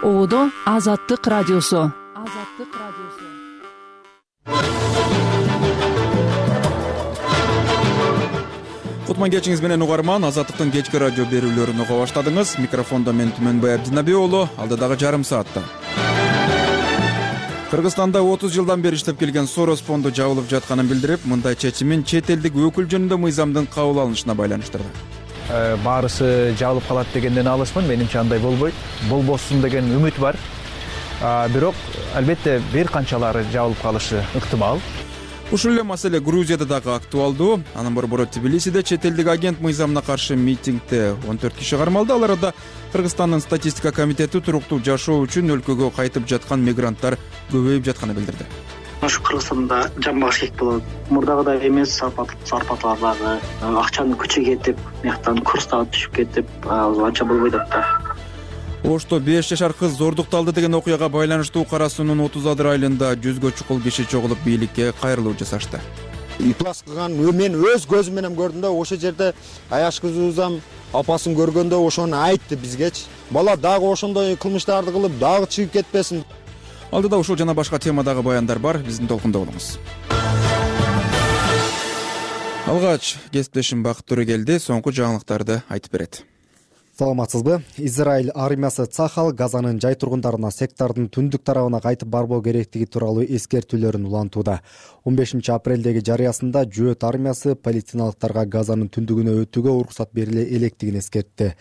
Оодо Азаттык радиосу. Кутман кечиңиз менен угарман, Азаттыктын кечки радио берүүлөрүн уга баштадыңыз. Микрофондо мен Түмөнбай Абдинабий уулу, алдыдагы жарым саатта Кыргызстанда 30 жылдан бери иштеп келген Сорос фонду жабылып жатканын билдирип, мындай чечимин чет элдик өкүл жөнүндө мыйзамдын кабыл алынышына байланыштырды. Баарысы жабылып калат дегенден алысмын. Менимче андай болбойт. Болбосун деген үмүт бар. Бирок албетте бир канчалары жабылып калышы ыктымал. Ушул эле маселе Грузияда дагы актуалдуу. Анын борбору Тбилисиде чет элдик агент мыйзамына каршы митингде 14 киши кармалды. Алар арасында Кыргызстандын статистика комитети туруктуу жашоо үчүн өлкөгө кайтып жаткан мигранттар көбөйүп жатканын билдирди. Ушу Кыргызстанда жамбаш кек болот. Мурдагыдай эмес, зарплаталар дагы акчанын күчү кетип, мыяктан курс дагы түшүп кетип, анча болбойт да. Ошто 5 жашар кыз зордукталды деген окуяга байланыштуу Кара Суунун 30 айылында 100гө чукул киши чогулуп бийликке кайрылуу жасашты. Иплас кылган мен өз көзүм менен көрдүм да, ошол жерде аяш кызыбызам апасын көргөндө ошону айтты бизгечи. Бала дагы ошондой кылмыштарды кылып дагы чыгып кетпесин. Алдыда ушул жана башка темадагы баяндар бар, биздин толкунда болуңуз. Алгач кесиптешим Бакыт Төрөгелди соңку жаңылыктарды айтып берет. Саламатсызбы? Израиль армиясы Цахал Газанын жай тургундарына сектардын түндүк тарабына кайтып барбоо керектиги тууралуу эскертүүлөрүн улантууда. 15 апрелдеги жарыясында Жөөт армиясы палестиналыктарга Газанын түндүгүнө өтүүгө уруксат бериле электигин эскертти.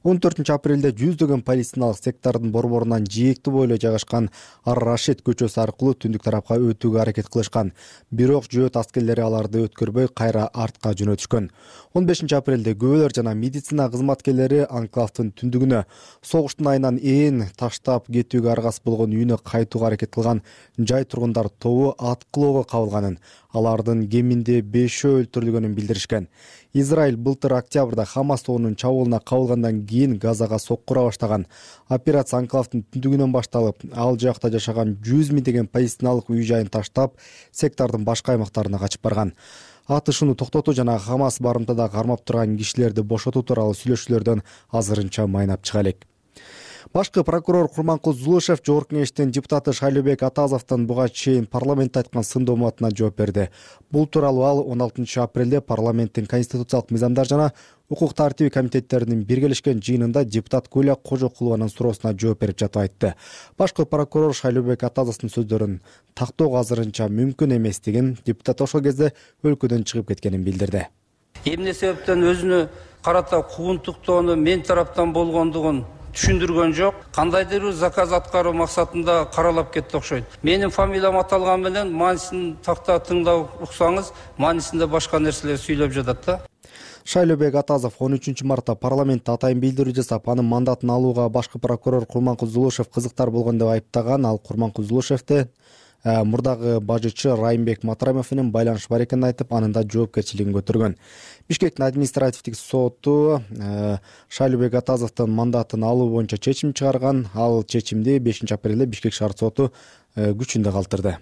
14 апрелде жүздөгөн палестиналык сектардын борборунан жээкти бойлой жайгашкан Ар-Рашид көчөсү аркылуу түндүк тарапка өтүүгө аракет кылышкан. Бирок Жөөт аскерлери аларды өткөрбөй кайра артка жөнөтүшкөн. 15 апрелде күбөлөр жана медицина кызматкерлери анклавдын түндүгүнө согуштун айынан таштап кетүүгө аргасыз болгон үйүнө кайтууга аракет кылган жай тургундар тобу аткылоого кабылганын, алардын кеминде 5-өө өлтүрүлгөнүн билдиришкен. Израиль былтыр октябрда Хамас тобунун чабуулуна кабылгандан кийин Газага соккура баштаган. Операция анклавдын түндүгүнөн башталып, ал жакта жашаган 100 миңдеген палестиналык үй жайын таштап, сектардын башка аймактарына качып барган. Атышууну токтотуу жана Хамас барымтада кармап турган кишилерди бошотуу тууралуу сүйлөшүүлөрдөн азырынча майнап чыга элек. Башкы прокурор Курманкул Зулушев Жогорку кеңештин депутаты Шайлообек Атазовдун буга чейин парламентте айткан сындоо маатына жооп берди. Бул тууралуу ал 16 апрелде парламенттин конституциялык мыйзамдар жана укук тартиби комитеттеринин биргелешкен жыйынында депутат Гүлия Кожокулованын суроосуна жооп берип жатып айтты. Башкы прокурор Шайлообек Атазовдун сөздөрүн тактоо азырынча мүмкүн эместигин, депутат ошол кезде өлкөдөн чыгып кеткенин билдирди. Эмне себептен өзүнө карата куугунтуктоону мен тараптан болгондугун түшүндүргөн жок. Кандайдыр бир заказ аткаруу максатында каралап кетти окшойт. Менин фамилиям аталган менен маанисин такта тыңдап уксаңыз, маанисинде башка нерселер сүйлөп жатат да. Шайлообек Атазов 13 мартта парламентте атайын билдирүү жасап, анын мандатын алууга башкы прокурор Курманкул Зулушев кызыктар болгон деп айыптаган. Ал Курманкул Зулушевди мурдагы бажычы Райымбек Матрамов менен байланыш бар экенин айтып, анын да жоопкерчилигин көтөргөн. Бишкектин административдик соту Шайлообек Атазовдун мандатын алуу боюнча чечим чыгарган. Ал чечимди 5 апрелде Бишкек шаар соту күчүндө калтырды.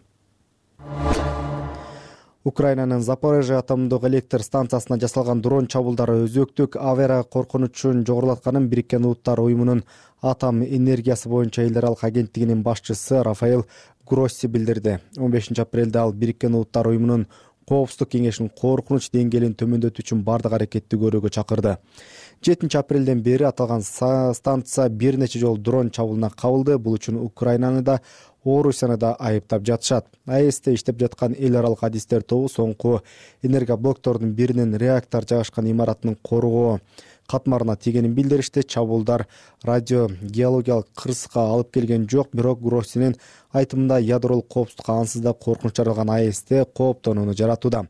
Украинанын Запорожье атомдук электр станциясына жасалган дрон чабуулдары өзөктүк авария коркунучун жогорулатканын Бириккен Улуттар уюмунун атом энергиясы боюнча эл аралык агенттигинин башчысы Рафаэл Гросси билдирди. 15 апрелде ал Бириккен Улуттар уюмунун Коопсуздук кеңешинин коркунуч деңгээлин төмөндөтүү үчүн бардык аракетти көрүүгө чакырды. 7 апрелден бери аталган станция бир нече жолу дрон чабуулуна кабылды. Бул үчүн Украинаны да Орусияны да айыптап жатышат. АЭСте иштеп жаткан эл аралык адистер тобу соңку энергоблоктордун биринин реактор жайгашкан имаратынын коргоо катмарына тийгенин билдиришти. Чабуулдар радиогеологиялык кырсыкка алып келген жок, бирок Гроссинин айтымында ядролук коопсуздукка ансыз да коркунуч жаралган АЭСте кооптонууну жаратууда.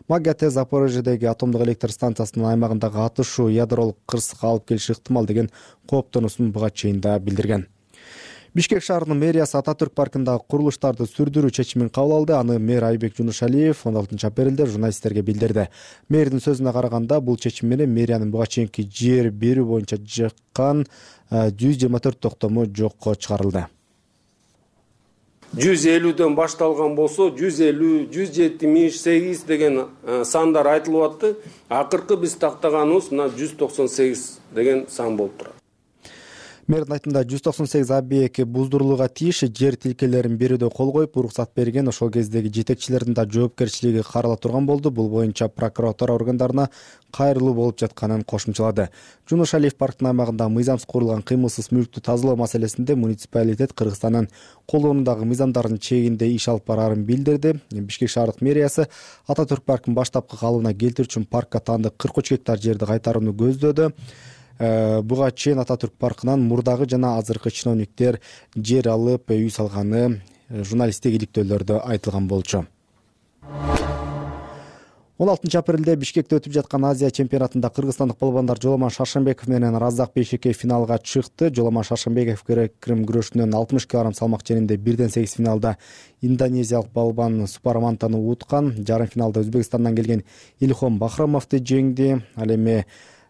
МАГАТЭ Запорожьедеги атомдук электр станциясынын аймагындагы атышуу ядролук кырсыкка алып келиши ыктымал деген кооптонуусун буга чейин да билдирген. Бишкек шаарынын мэриясы Ататүрк паркындагы курулуштарды сүрдүрүү чечимин кабыл алды. Аны мэр Айбек Жунушалиев 16 апрелде журналисттерге билдирди. Мэрдин сөзүнө караганда, бул чечим менен мэриянын буга чейинки жер берүү боюнча жаккан 124 токтому жокко чыгарылды. 150дөн башталган болсо 150, 178 деген сандар айтылып атты. Акыркы биз тактаганыбыз мына 198 деген сан болуп турат. Мэрдин айтымында 198 объект буздурулууга тийиш жер тилкелерин берүүдө кол коюп, уруксат берген. Ошол кездеги жетекчилердин да жоопкерчилиги карала турган болду. Бул боюнча прокуратура органдарына кайрылуу болуп жатканын кошумчалады. Жунуш Алиев парктын аймагында мыйзамсыз курулган кыймылсыз мүлктү тазалоо маселесинде муниципалитет Кыргызстандын колдонуудагы мыйзамдардын чегинде иш алып бараарын билдирди. Бишкек шаардык мэриясы Ататүрк паркын баштапкы калыбына келтирүү үчүн паркка таандык 43 гектар жерди кайтарууну көздөдү. Буга чейин Ататүрк паркынан мурдагы жана азыркы чиновниктер жер алып, үй салганы журналисттик иликтөөлөрдө айтылган болчу. 16 апрелде Бишкекте өтүп жаткан Азия чемпионатында кыргызстандык балбандар Жоламан Шаршенбеков менен Разак Бейшекеев финалга чыкты. Жоламан Шаршенбеков грек-рим күрөшүнөн 60 кг салмак ченинде 1/8 финалда индонезиялык балбан Супарамантаны уткан. Жарым финалда Өзбекстандан келген Илхом Бахрамовду жеңди. Ал эми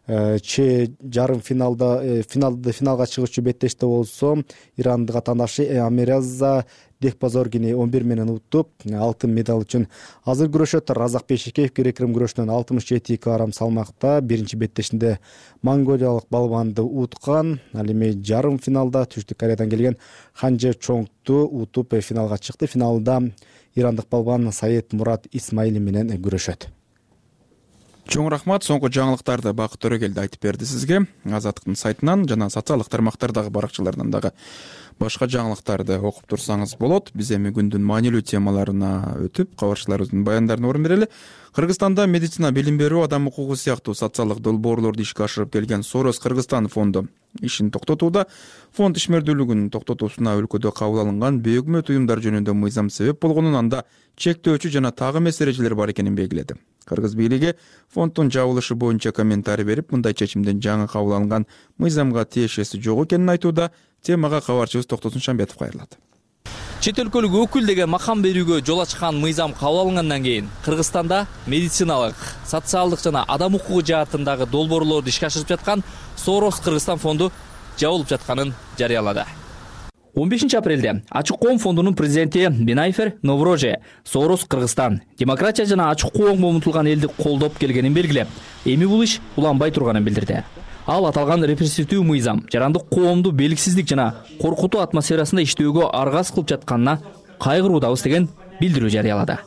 жарым финалга чыгуучу беттеште болсо ирандык атаандашы Амираза Дехпазоргини 11 менен уттуп, алтын медаль үчүн азыр күрөшөт. Разак Бейшекеев грек-рим күрөшүнөн 67 кг салмакта биринчи беттешинде монголиялык балбанды уткан. Ал эми жарым финалда Түштүк Кореядан келген Ханже Чонгду утуп финалга чыкты. Финалда ирандык балбан Саид Мурат Исмайли менен күрөшөт. Чоң рахмат. Соңку жаңылыктарды Бакыт Төрөгелди айтып берди сизге. Азаттыктын сайтынан жана социалдык тармактардагы баракчаларынан дагы башка жаңылыктарды окуп турсаңыз болот. Биз эми күндүн маанилүү темаларына өтүп, кабарчыларыбыздын баяндарына орун берели. Кыргызстанда медицина, билим берүү, адам укугу сыяктуу социалдык долбоорлорду ишке ашырып келген Сорос Кыргызстан фонду ишин токтотууда. Фонд ишмердүүлүгүн токтотуусуна өлкөдө кабыл алынган бейөкмөт уюмдар жөнүндө мыйзам себеп болгонун, анда чектөөчү жана тагы эмес эрежелер бар экенин белгиледи. Кыргыз бийлиги фонддун жабылышы боюнча комментарий берип, мындай чечимдин жаңы кабыл алынган мыйзамга тиешеси жок экенин айтууда. Темага кабарчыбыз Токтосун Шамбетов кайрылат. Чет өлкөлүк өкүл деген макам берүүгө жол ачкан мыйзам кабыл алынгандан кийин Кыргызстанда медициналык, социалдык жана адам укугу жаатындагы долбоорлорду ишке ашырып жаткан Сорос Кыргызстан фонду жабылып жатканын жарыялады. 15 апрелде Ачык коом фондунун президенти Бинайфер Новроже Сорос Кыргызстан демократия жана ачык коомго умтулган элди колдоп келгенин белгилеп, эми бул иш уланбай турганын билдирди. Ал аталган репрессивдүү мыйзам жарандык коомду белгисиздик жана коркутуу атмосферасында иштөөгө аргасыз кылып жатканына кайгыруудабыз деген билдирүү жарыялады.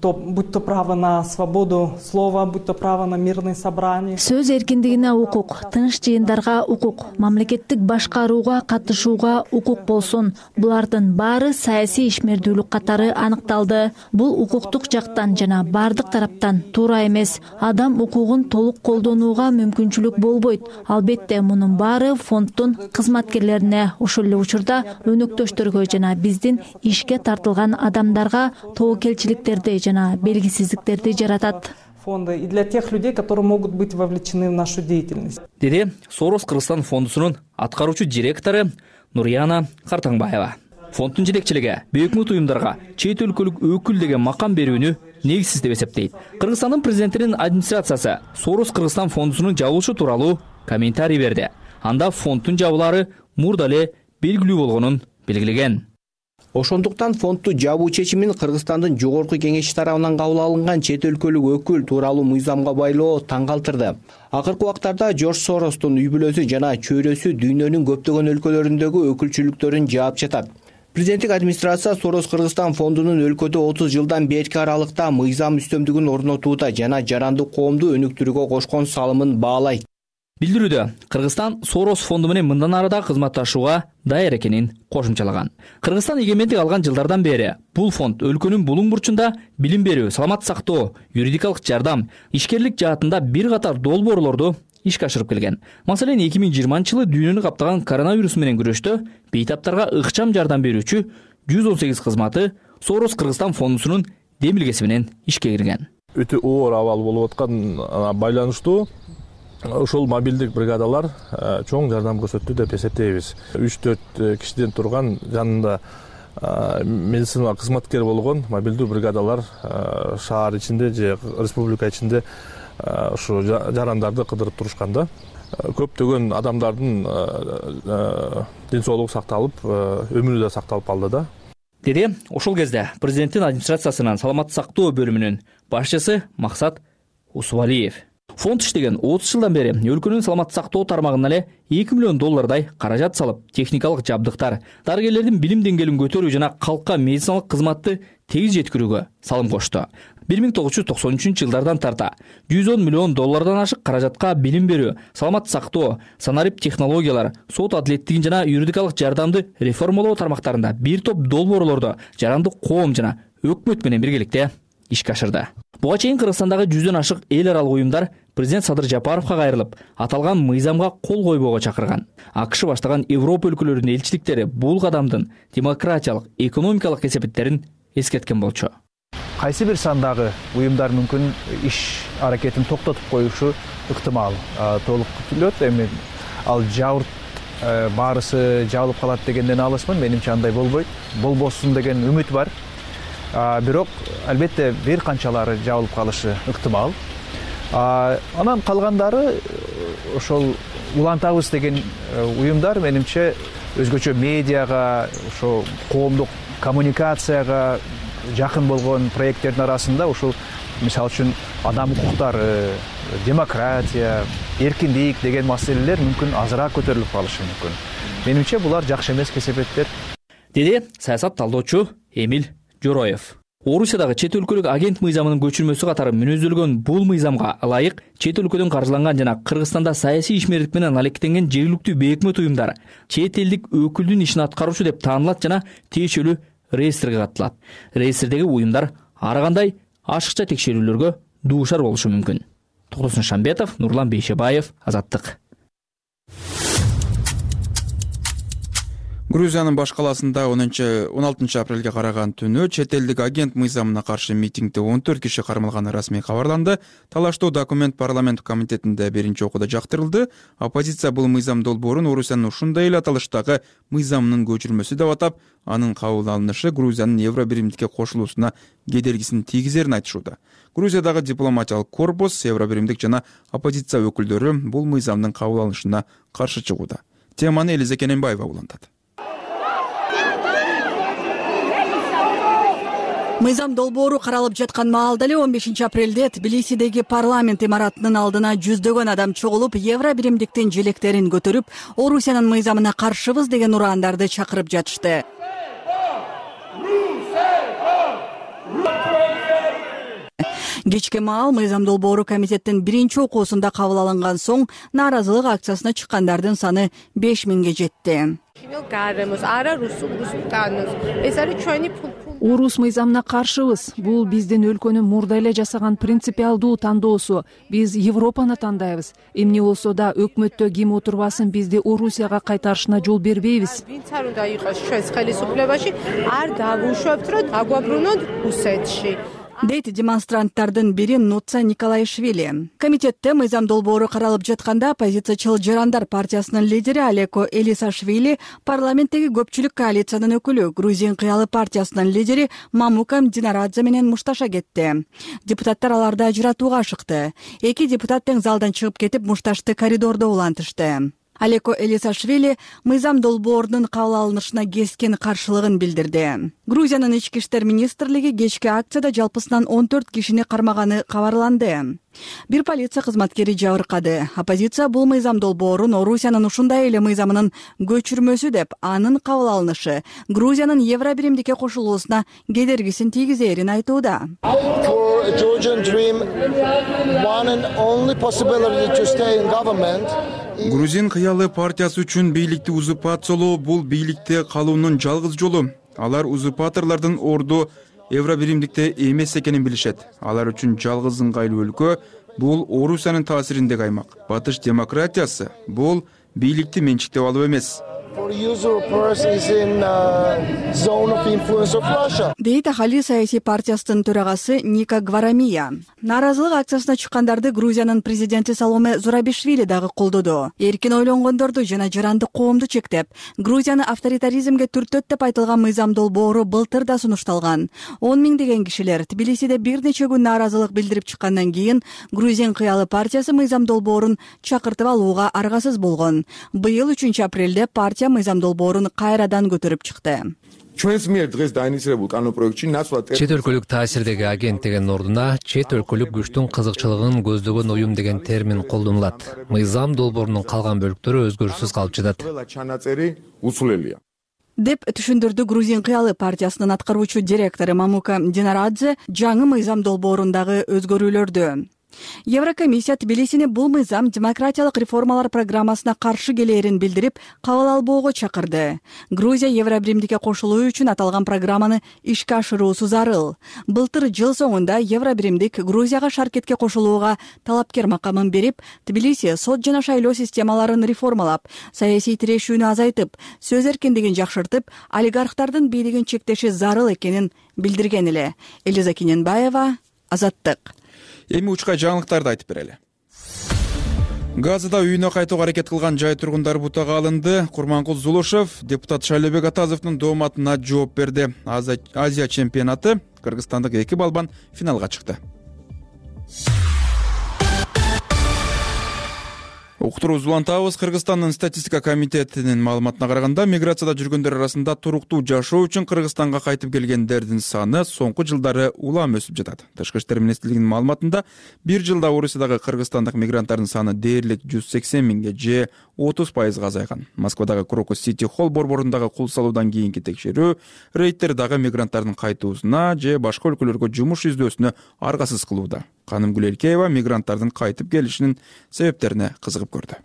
Будь то право на свободу слова, будь то право на мирные собрания. Сөз эркиндигине укук, тыныч жыйындарга укук, мамлекеттик башкарууга катышууга укук болсун. Булардын баары саясий ишмердүүлүк катары аныкталды. Бул укуктук жактан жана бардык тараптан туура эмес. Адам укугун толук колдонууга мүмкүнчүлүк болбойт. Албетте мунун баары фонддун кызматкерлерине, ошол эле учурда өнөктөштөргө жана биздин ишке тартылган адамдарга тобокелчиликтерди жана белгисиздиктерди жаратат. Фонды и для тех людей, которые могут быть вовлечены в нашу деятельность. Деди Сорос Кыргызстан фондусунун аткаруучу директору Нурияна Картаңбаева. Фонддун жетекчилиги бейөкмөт уюмдарга чет өлкөлүк өкүл деген макам берүүнү негизсиз деп эсептейт. Кыргызстандын президентинин администрациясы Сорос Кыргызстан фондусунун жабылышы тууралуу комментарий берди. Анда фонддун жабылаары мурда эле белгилүү болгонун белгилеген. Ошондуктан фондду жабуу чечимин Кыргызстандын жогорку кеңеши тарабынан кабыл алынган чет өлкөлүк өкүл тууралуу мыйзамга байлоо таң калтырды. Акыркы убактарда Жорж Соростун үй бүлөсү жана чөйрөсү дүйнөнүн көптөгөн өлкөлөрүндөгү өкүлчүлүктөрүн жаап жатат. Президенттик администрация Сорос Кыргызстан фондунун өлкөдө 30 жылдан берки аралыкта мыйзам үстөмдүгүн орнотууда жана жарандык коомду өнүктүрүүгө кошкон салымын баалайт. Билдирүүдө Кыргызстан Сорос фонду менен мындан арада кызматташууга даяр экенин кошумчалаган. Кыргызстан эгемендик алган жылдардан бери бул фонд өлкөнүн булуң бурчунда билим берүү, саламат сактоо, юридикалык жардам, ишкерлик жаатында бир катар долбоорлорду ишке ашырып келген. Маселен 2020-жылы дүйнөнү каптаган коронавирус менен күрөштө бейтаптарга ыкчам жардам берүүчү 118 кызматы Сорос Кыргызстан фондусунун демилгеси менен ишке кирген. Өтө оор абал болуп аткан байланыштуу ушул мобилдик бригадалар чоң жардам көрсөттү деп эсептейбиз. 3-4 кишиден турган жанында медицина кызматкер болгон мобилдүү бригадалар шаар ичинде же республика ичинде ушу жарандарды кыдырып турушканда көптөгөн адамдардын ден соолугу сакталып, өмүрү да сакталып калды да. Деди ошол кезде президенттин администрациясынын саламат сактоо бөлүмүнүн башчысы Максат Усубалиев. Фонд иштеген 30 жылдан бери өлкөнүн саламаттык сактоо тармагына эле $2 миллион каражат салып, техникалык жабдыктар, дарыгерлердин билим деңгээлин көтөрүү жана калкка медициналык кызматты тегиз жеткирүүгө салым кошту. 1993 жылдардан тарта $110 миллион ашык каражатка билим берүү, саламаттык сактоо, санарип технологиялар, сот адилеттигин жана юридикалык жардамды реформалоо тармактарында бир топ долбоорлорду жарандык коом жана өкмөт менен биргеликте ишке ашырды. Буга чейин Кыргызстандагы 100дөн ашык эл аралык уюмдар президент Садыр Жапаровго кайрылып, аталган мыйзамга кол койбоого чакырган. АКШ баштаган Европа өлкөлөрүнүн элчиликтери бул кадамдын демократиялык, экономикалык кесепеттерин эскерткен болчу. Кайсы бир сандагы уюмдар мүмкүн иш аракетин токтотуп коюшу ыктымал. Толук күтүлөт. Эми ал жабырт баарысы жабылып калат дегенден алысмын. Менимче андай болбойт. Болбосун деген үмүт бар. Бирок албетте бир канчалары жабылып калышы ыктымал. Анан калгандары ошол улантабыз деген уюмдар менимче өзгөчө медиага, ошо коомдук коммуникацияга жакын болгон проекттердин арасында ушул мисалы үчүн адам укуктары, демократия, эркиндик деген маселелер мүмкүн азыраак көтөрүлүп калышы мүмкүн. Менимче булар жакшы эмес кесепеттер. Деди саясат талдоочу Эмил Жороев. Орусиядагы чет өлкөлүк агент мыйзамынын көчүрмөсү катары мүнөздөлгөн бул мыйзамга ылайык чет өлкөдөн каржыланган жана Кыргызстанда саясий ишмердик менен алектенген жергиликтүү бейөкмөт уюмдар чет элдик өкүлдүн ишин аткаруучу деп таанылат жана тиешелүү реестрге катталат. Реестрдеги уюмдар ар кандай ашыкча текшерүүлөргө дуушар болушу мүмкүн. Токтосун Шамбетов, Нурлан Бейшебаев, Азаттык. Грузиянын баш каласында 16 апрелге караган түнү чет элдик агент мыйзамына каршы митингде 14 киши кармалганы расмий кабарланды. Талаштуу документ парламент комитетинде биринчи окууда жактырылды. Оппозиция бул мыйзам долбоорун Орусиянын ушундай эле аталыштагы мыйзамынын көчүрмөсү деп атап, анын кабыл алынышы Грузиянын Евро биримдикке кошулуусуна кедергисин тийгизерин айтышууда. Грузиядагы дипломатиялык корпус, Евро биримдик жана оппозиция өкүлдөрү бул мыйзамдын кабыл алынышына каршы чыгууда. Теманы Элиза Кененбаева улантат. Мыйзам долбоору каралып жаткан маалда эле 15 апрелде Тбилисидеги парламент имаратынын алдына жүздөгөн адам чогулуп, Евро биримдиктин желектерин көтөрүп, Орусиянын мыйзамына каршыбыз деген ураандарды чакырып жатышты. Кечки маал мыйзам долбоору комитеттин биринчи окуусунда кабыл алынган соң нааразылык акциясына чыккандардын саны 5000ге жетти. Орус мыйзамына каршыбыз. Бул биздин өлкөнүн мурда эле жасаган принципиалдуу тандоосу. Биз Европаны тандайбыз. Эмне болсо да өкмөттө ким отурбасын бизди Орусияга кайтарышына жол бербейбиз. Дейт демонстранттардын бири Нуца Николаишвили. Комитетте мыйзам долбоору каралып жатканда оппозициячыл Жарандар партиясынын лидери Алеко Элисашвили, парламенттеги көпчүлүк коалициянын өкүлү Грузин кыялы партиясынын лидери Мамукам Динарадзе менен мушташа кетти. Депутаттар аларды ажыратууга ашыкты. Эки депутат тең залдан чыгып кетип, мушташты коридордо улантышты. Алеко Элисашвили мыйзам долбоорунун кабыл алынышына кескен каршылыгын билдирди. Грузиянын ички иштер министрлиги кечки акцияда жалпысынан 14 кишини кармаганы кабарланды. Бир полиция кызматкери жабыркады. Оппозиция бул мыйзам долбоорун Орусиянын ушундай эле мыйзамынын көчүрмөсү деп, анын кабыл алынышы Грузиянын Евро биримдикке кошулуусуна кедергисин тийгизерин айтууда. Грузин кыялы партиясы үчүн бийликти узурпациялоо бул бийликте калуунун жалгыз жолу. Алар узурпаторлордун орду Евро биримдикте эмес экенин билишет. Алар үчүн жалгыз ыңгайлуу өлкө бул Орусиянын таасириндеги аймак. Батыш демократиясы бул бийликти менчиктеп алуу эмес. Дейт Ахали саясий партиясынын төрагасы Ника Гварамия. Нааразылык акциясына чыккандарды Грузиянын президенти Саломе Зурабишвили дагы колдоду. Эркин ойлонгондорду жана жаранды коомду чектеп, Грузияны авторитаризмге түртөт деп айтылган мыйзам долбоору былтыр да сунушталган. 10 миңдеген кишилер Тбилисиде бир нече күн нааразылык билдирип чыккандан кийин Грузин кыялы партиясы мыйзам долбоорун чакыртып алууга аргасыз болгон. Быйыл 3 апрелде партия мыйзам долбоорун кайрадан көтөрүп чыкты. ჩვენს მიერ დღეს დაინიცირებულ კანონპროექტში ნაცვლად чет өлкөлүк таасирдеги агент деген ордуна чет өлкөлүк күчтүн кызыкчылыгын көздөгөн уюм деген термин колдонулат. Мыйзам долбоорунун калган бөлүктөрү өзгөрүүсүз калып жатат. деп түшүндүрдү Грузин кыялы партиясынын аткаруучу директору Мамука Динарадзе жаңы мыйзам долбоорундагы өзгөрүүлөрдү. Еврокомиссия Тбилисини бул мыйзам демократиялык реформалар программасына каршы келээрин билдирип, кабыл албоого чакырды. Грузия Евробиримдикке кошулуу үчүн аталган программаны ишке ашыруусу зарыл. Былтыр жыл соңунда Евробиримдик Грузияга шаркетке кошулууга талапкер макамын берип, Тбилиси сот жана шайлоо системаларын реформалап, саясий тирешүүнү азайтып, сөз эркиндигин жакшыртып, олигархтардын бийлигин чектеши зарыл экенин билдирген эле. Элиза Кененбаева, Азаттык. Эми учкай жаңылыктарды айтып берели. Газыда үйүнө кайтууга аракет кылган жай тургундары бутага алынды. Курманкул Зулушев депутат Шайлообек Атазовдун дооматына жооп берди. Азия чемпионаты кыргызстандык 2 балбан финалга чыкты. Уктурубузду улантабыз. Кыргызстандын статистика комитетинин маалыматына караганда, миграцияда жүргөндөр арасында туруктуу жашоо үчүн Кыргызстанга кайтып келгендердин саны соңку жылдары улам өсүп жатат. Тышкы иштер министрлигинин маалыматында, бир жылда Орусиядагы кыргызстандык мигранттардын саны дээрлик 180 миңге же 30% азайган. Москвадагы Крокус Сити Холл борборундагы кул салуудан кийинки текшерүү рейдтер дагы мигранттардын кайтуусуна же башка өлкөлөргө жумуш издөөсүнө аргасыз кылууда. Канымгүл Элкеева мигранттардын кайтып келишинин себептерине кызыгып көрдү.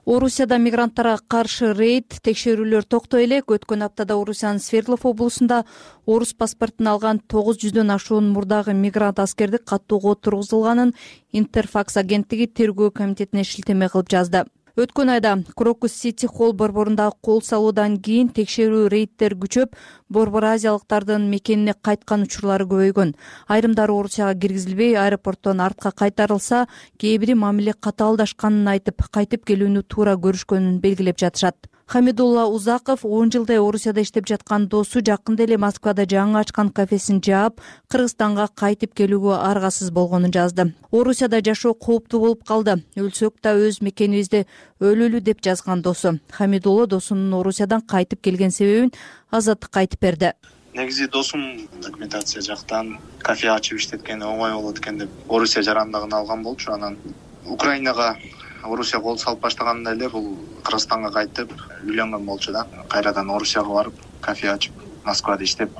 Орусияда мигранттарга каршы рейд текшерүүлөр токтой элек. Өткөн аптада Орусиянын Свердлов облусунда орус паспортун алган 900дөн ашуун мурдагы мигрант аскерди каттоого тургузулганын Интерфакс агенттиги тергөө комитетине шилтеме кылып жазды. Өткөн айда Крокус Сити Холл борборундагы кол салуудан кийин текшерүү рейдтер күчөп, борбор азиялыктардын мекенине кайткан учурлары көбөйгөн. Айрымдары Орусияга киргизилбей, аэропорттон артка кайтарылса, кээ бири мамиле катаалдашканын айтып, кайтып келүүнү туура көрүшкөнүн белгилеп жатышат. Хамидулла Узаков 10 жылдай Орусияда иштеп жаткан досу жакында эле Москвада жаңы ачкан кафесин жаап, Кыргызстанга кайтып келүүгө аргасыз болгонун жазды. Орусияда жашоо кооптуу болуп калды. Өлсөк да өз мекенибизде өлөлү деп жазган досу. Хамидулла досунун Орусиядан кайтып келген себебин Азаттыкка айтып берди. Негизи досум документация жактан кафе ачып иштеткени оңой болот экен деп Орусия жарандыгын алган болчу. Анан Украинага Орусия кол салып баштаганында эле бул Кыргызстанга кайтып үйлөнгөн болчу да. Кайрадан Орусияга барып кафе ачып Москвада иштеп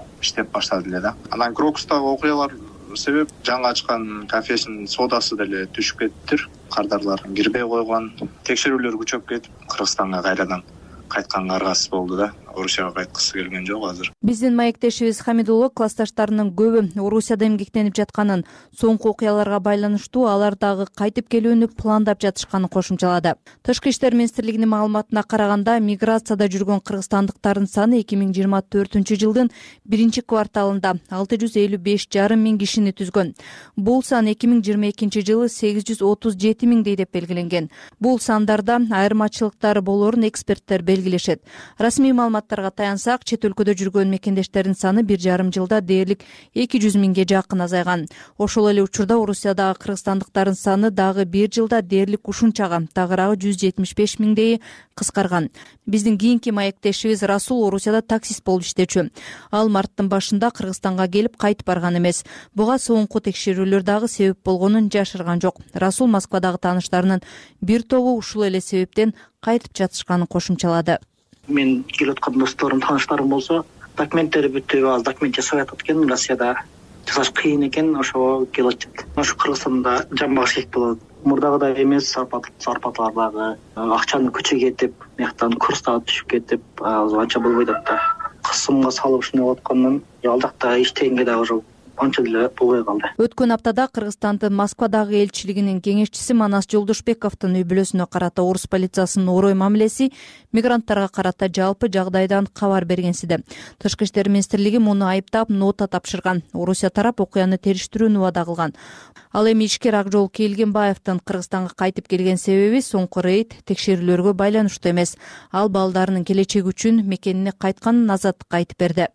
баштады эле да. Анан Крокустагы окуялар себеп жаңы ачкан кафесинин содасы деле түшүп кетиптир. Кардарлар кирбей койгон, текшерүүлөр күчөп кетип Кыргызстанга кайрадан кайтканга аргасыз болду да. Орусияга кайткысы келген жок азыр. Биздин маектешибиз Хамидулла классташтарынын көбү Орусияда эмгектенип жатканын, соңку окуяларга байланыштуу алар дагы кайтып келүүнү пландап жатышканын кошумчалады. Тышкы иштер министрлигинин маалыматына караганда, миграцияда жүргөн кыргызстандыктардын саны 2024-жылдын 1-кварталында 655,5 миң кишини түзгөн. Бул сан 2022-жылы 837 миңдей деп белгиленген. Бул сандарда айырмачылыктар болорун эксперттер белгилешет. Расмий маалыматтарга таянсак, чет өлкөдө жүргөн мекендештердин саны 1,5 жылда дээрлик 200 миңге жакын азайган. Ошол эле учурда Орусиядагы кыргызстандыктардын саны дагы 1 жылда дээрлик ушунчага, тагыраагы 175 миңдей кыскарган. Биздин кийинки маектешибиз Расул Орусияда таксист болуп иштечү. Ал марттын башында Кыргызстанга келип кайтып барган эмес. Буга соңку текшерүүлөр дагы себеп болгонун жашырган жок. Расул Москвадагы тааныштарынын бир тобу ушул эле себептен кайтып жатышканын кошумчалады. Мен келип аткан досторум, тааныштарым болсо, документтери бүтүп, аз документ жасап атат экен. Россияда жасаш кыйын экен, ошого келип атат. Ошо Кыргызстанда жан багыш керек болот. Мурдагыдай эмес, зарплаталар дагы акчаны күчө кетип, мыяктан курс дагы түшүп кетип, анча болбойт да. Кысымга салып ушундай болуп аткандан, ал жакта иштегенге дагы уже анча деле болбой калды. Өткөн аптада Кыргызстандын Москвадагы элчилигинин кеңешчиси Манас Жолдошбековдун үй бүлөсүнө карата орус полициясынын орой мамилеси мигранттарга карата жалпы жагдайдан кабар бергенсиде. Тышкы иштер министрлиги муну айыптап, нота тапшырган. Орусия тарап окуяны териштирүүнү убада кылган. Ал эми ишкер Акжол Келгенбаевдин Кыргызстанга кайтып келген себеби соңку рейд текшерүүлөргө байланыштуу эмес. Ал балдарынын келечеги үчүн мекенине кайтканын Азаттыкка айтып берди.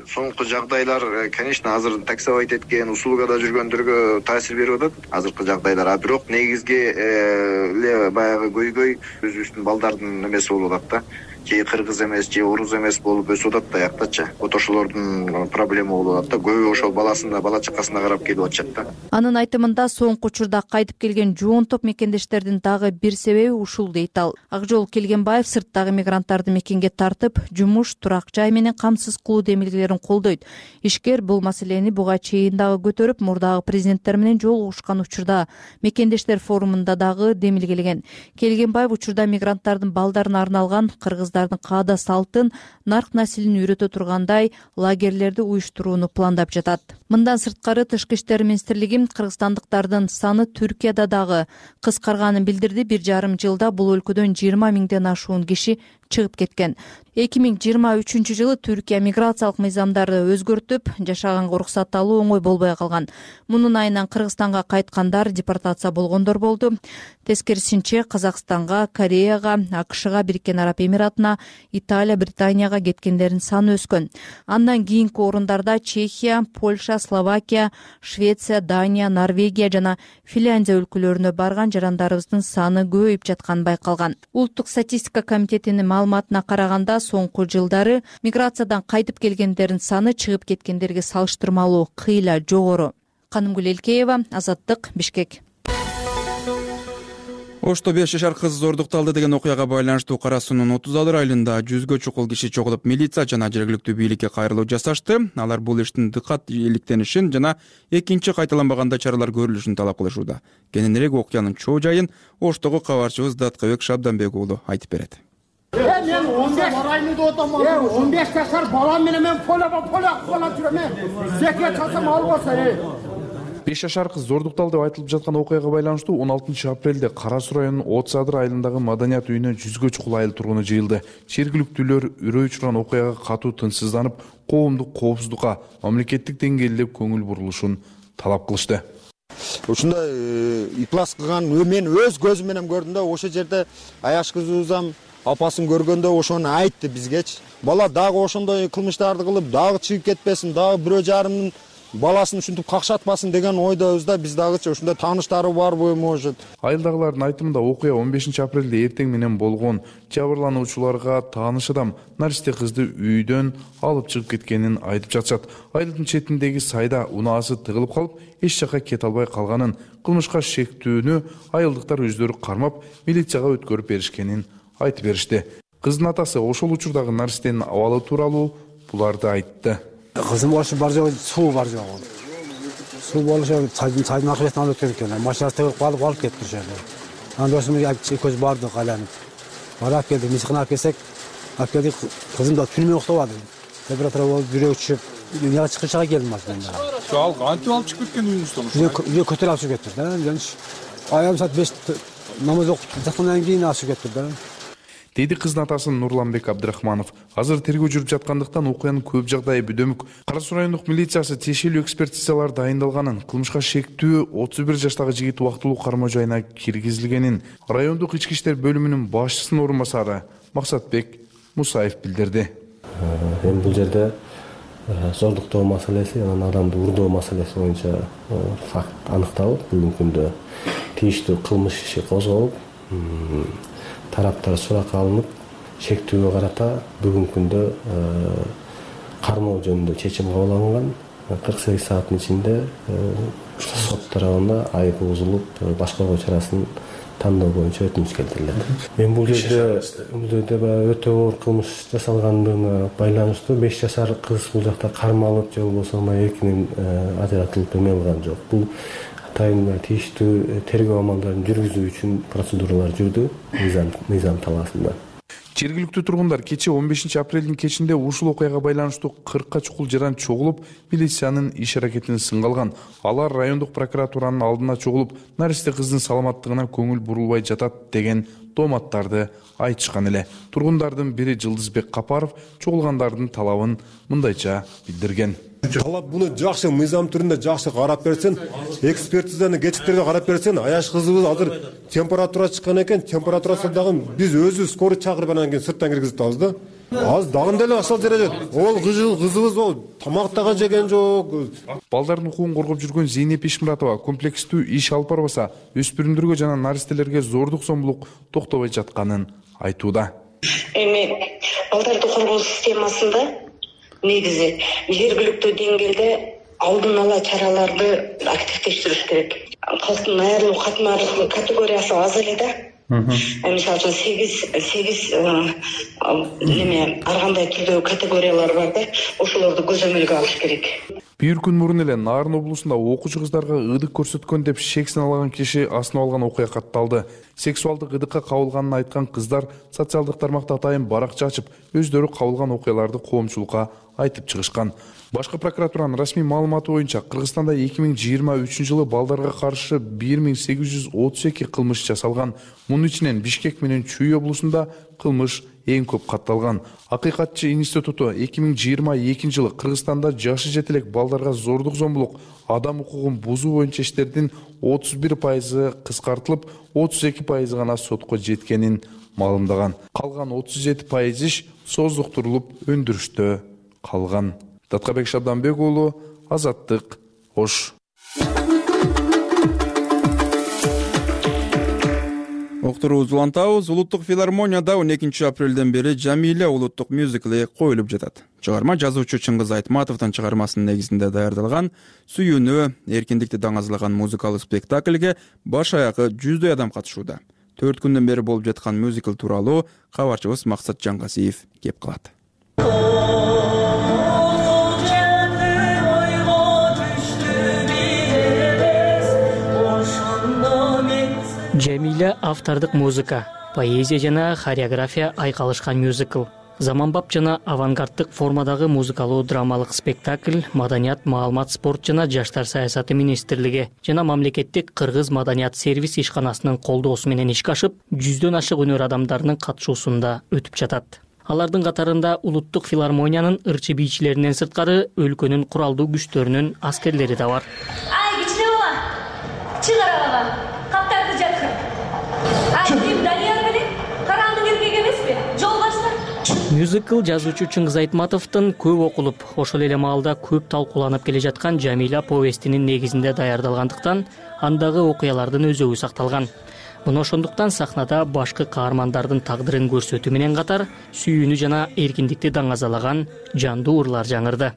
Соңку жагдайлар, конечно, азыр таксовать эткен, услугада жүргөндөргө таасир берип атат. Азыркы жагдайлар, бирок негизги эле баягы көйгөй өзүбүздүн балдардын эмеси болуп атат да. же кыргыз эмес же орус эмес болуп өсүп атат да аяктачы. Вот ошолордун проблема болуп атат да. Көбү ошол баласына, бала чакасына карап келип атышат да. Анын айтымында соңку учурда кайтып келген жоон топ мекендештердин дагы бир себеби ушул дейт ал. Акжол Келгенбаев сырттагы мигранттарды мекенге тартып, жумуш, турак жай менен камсыз кылуу демилгелерин колдойт. Ишкер бул маселени буга чейин дагы көтөрүп, мурдагы президенттер менен жолугушкан учурда мекендештер форумунда дагы демилгелеген. Келгенбаев учурда мигранттардын балдарына арналган кыргыздардын каада салтын, нарк насилин үйрөтө тургандай лагерлерди уюштурууну пландап жатат. Мындан сырткары Тышкы иштер министрлиги кыргызстандыктардын саны Түркияда дагы кыскарганын билдирди. 1,5 жылда бул өлкөдөн 20 миңден ашуун киши чыгып кеткен. 2023 жылы Түркия миграциялык мыйзамдарды өзгөртүп, жашаганга уруксат алуу оңой болбой калган. Мунун айынан Кыргызстанга кайткандар депортация болгондор болду. Тескерисинче Казакстанга, Кореяга, АКШга, Бириккен Араб Эмиратына, Италия, Британияга кеткендердин саны өскөн. Андан кийинки орундарда Чехия, Польша, Словакия, Швеция, Дания, Норвегия жана Финляндия өлкөлөрүнө барган жарандарыбыздын саны көбөйүп жатканы байкалган. Улуттук статистика комитетинин маалыматына караганда, соңку жылдары миграциядан кайтып келгендердин саны чыгып кеткендерге салыштырмалуу кыйла жогору. Канымгүл Элкеева, Азаттык, Бишкек. Ошто 5 жашар кыз зордукталды деген окуяга байланыштуу Кара Суунун 30 айылында 100гө чукул киши чогулуп, милиция жана жергиликтүү бийликке кайрылуу жасашты. Алар бул иштин дыкат иликтенишин жана экинчи кайталанбаганда чаралар көрүлүшүн талап кылышууда. Кененирээк окуянын чоо жайын Оштогу кабарчыбыз Даткабек Шабданбек уулу айтып берет. Мен 15 районда отаман. 15 жашар балам менен мен поля кылып жүрөм. Зекет чалсам албаса. 5 жашар кыз зордукталды деп айтылып жаткан окуяга байланыштуу 16 апрелде Кара Суу районунун Отсадыр айылындагы маданият үйүнө 100гө чукул айыл тургуну жыйылды. Жергиликтүүлөр үрөй учурган окуяга катуу тынчсызданып, коомдук коопсуздукка мамлекеттик деңгээлде көңүл бурулушун талап кылышты. Ушундай иплас кылган мен өз көзүм менен көрдүм да, ошол жерде аяш кызыбызам апасын көргөндө ошону айтты бизгечи. Бала дагы ошондой кылмыштарды кылып, дагы чыгып кетпесин, дагы бирөө жарымдын баласын ушинтип какшатпасын деген ойдобуз да. Биз дагычы ушундай тааныштары барбы, может. Айылдагылардын айтымында окуя 15 апрелде эртең менен болгон. Жабырлануучуларга тааныш адам наристе кызды үйдөн алып чыгып кеткенин айтып жатышат. Айылдын четиндеги сайда унаасы тыгылып калып, эч жака кете албай калганын, кылмышка шектүүнү айылдыктар өздөрү кармап, милицияга өткөрүп беришкенин айтып беришти. Кыздын атасы ошол учурдагы наристенин абалы тууралуу буларды айтты. Кызым ошо бар жогу суу бар жогу. Суу болушу сайдын аркы бетине алып өткөн экен. Машинасы тыгылып алып кетти ошол жерде. Анда ошондой көз бардык айланып. Барап келдик, мисыкына алып келсек, алып келдик, кызым да түнү менен уктабады. Температура болуп, жүрөгү чыгып, дүйнөгө чыгышка келмеш да. Ал кантип алып чыгып кеткен үйүңүздөн ошо? Үйгө көтөрүп алып чыгып кетти да. Аям саат 5 намаз окуп жаткандан кийин алып чыгып кетти да. Деди кыздын атасы Нурланбек Абдрахманов. Азыр тергөө жүрүп жаткандыктан окуянын көп жагдайы бүдөмүк. Кара Суу райондук милициясы тиешелүү экспертизалар дайындалганын, кылмышка шектүү 31 жаштагы жигит убактылуу кармоо жайына киргизилгенин райондук ички иштер бөлүмүнүн башчысынын орун басары Максатбек Мусаев билдирди. Эми бул жерде зордуктоо маселеси, анан адамды урдоо маселеси боюнча факт аныкталып, бүгүнкү күндө тийиштүү кылмыш иши козголуп, тараптар суракка алынып, шектүүгө карата бүгүнкү күндө кармоо жөнүндө чечим кабыл алынган. 48 сааттын ичинде сот тарабына айып бузулуп, башкаруу чарасын тандоо боюнча өтүнүч келтирилет. Эми бул жерде өтө оор кылмыш жасалгандыгына байланыштуу 5 жашар кыз бул жакта кармалып же болбосо эркинен ажыратылып эме алган жок. Бул атайын тийиштүү тергөө амалдарын жүргүзүү үчүн процедуралар жүрдү мыйзам талаасында. Жергиликтүү тургундар кечээ 15 апрелдин кечинде ушул окуяга байланыштуу 40 чукул жаран чогулуп, милициянын иш аракетин сынга алган. Алар райондук прокуратуранын алдына чогулуп, наристе кыздын саламаттыгына көңүл бурулбай жатат деген дооматтарды айтышкан эле. Тургундардын бири Жылдызбек Капаров чогулгандардын талабын мындайча билдирген. Талап буну жакшы мыйзам түрүндө жакшы карап берсин, экспертизаны кечиктерге карап берсин. Аяш кызыбыз азыр температура чыккан экен, температурасы дагы биз өзүбүз скорый чакырып анан кийин сырттан киргизип атабыз да. Азыр дагы деле ошол жерде ол кызыбыз ол тамак дагы жеген жок. Балдардын укугун коргоп жүргөн Зейнеп Ишмуратова комплекстүү иш алып барбаса, өспүрүмдөргө жана наристелерге зордук зомбулук токтобой жатканын айтууда. Эми балдарды коргоо системасында негизи жергиликтүү деңгээлде алдын ала чараларды активдештириш керек. Калктын айрылуу катмарлык категориясы аз эле да. Мисалы үчүн 8 ар кандай түрдөгү категориялар бар да, ошолорду көзөмөлгө алыш керек. Бир күн мурун эле Нарын облусунда окуучу кыздарга ыдык көрсөткөн деп шек саналган киши асынып алган окуя катталды. Сексуалдык ыдыкка кабылганын айткан кыздар социалдык тармакта атайын баракча ачып, өздөрү кабылган окуяларды коомчулукка айтып чыгышкан. Башкы прокуратуранын расмий маалыматы боюнча Кыргызстанда 2023-жылы балдарга каршы 1832 кылмыш жасалган. Мунун ичинен Бишкек менен Чүй облусунда кылмыш эң көп катталган. Акыйкатчы институту 2022-жылы Кыргызстанда жашы жете элек балдарга зордук зомбулук, адам укугун бузуу боюнча иштердин 31% кыскартылып, 32% гана сотко жеткенин маалымдаган. Калган 37% иш создуктурулуп өндүрүштө калган. Таткабек Шабданбек уулу, Азаттык, Ош. Октурубузду улантабыз. Улуттук филармонияда 12 апрелден бери Жамиля улуттук мюзикли коюлуп жатат. Чыгарма жазуучу Чыңгыз Айтматовдун чыгармасынын негизинде даярдалган Сүйүүнү, эркиндикти даңазалаган музыкалык спектакльге баш аягы 100дөй адам катышууда. 4 күндөн бери болуп жаткан мюзикл тууралуу кабарчыбыз Максат Жаңгасиев кеп калат. Жамиля автордук музыка, поэзия жана хореография айкалышкан мюзикл. Заманбап жана авангарддык формадагы музыкалуу драмалык спектакль Маданият, маалымат, спорт жана жаштар саясаты министрлиги жана мамлекеттик кыргыз маданият сервис ишканасынын колдоосу менен ишке ашып, 100дөн ашык өнөр адамдарынын катышуусунда өтүп жатат. Алардын катарында улуттук филармониянын ырчы бийчилеринен сырткары өлкөнүн куралдуу күчтөрүнүн аскерлери да бар. Ай, кичине бала, чыгара бала, каптарды жаткыр. Ай, Данияр менен караңдын эркек эмеспи? Жол башла. Мюзикл жазуучу Чыңгыз Айтматовдун көп окулуп, ошол эле маалда көп талкууланып келе жаткан Жамиля повестинин негизинде даярдалгандыктан, андагы окуялардын өзөгү сакталган. Муну ошондуктан сахнада башкы каармандардын тагдырын көрсөтүү менен катар сүйүүнү жана эркиндикти даңазалаган жандуу ырлар жаңырды.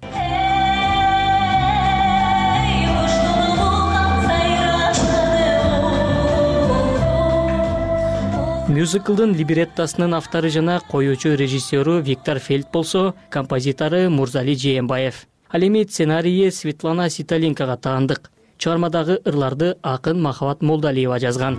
Мюзиклдын либреттосунун автору жана коюучу режиссеру Виктор Фельд болсо, композитору Мурзали Жээнбаев. Ал эми сценарийи Светлана Ситалинкага таандык. Чыгармадагы ырларды акын Махабат Молдалиева жазган.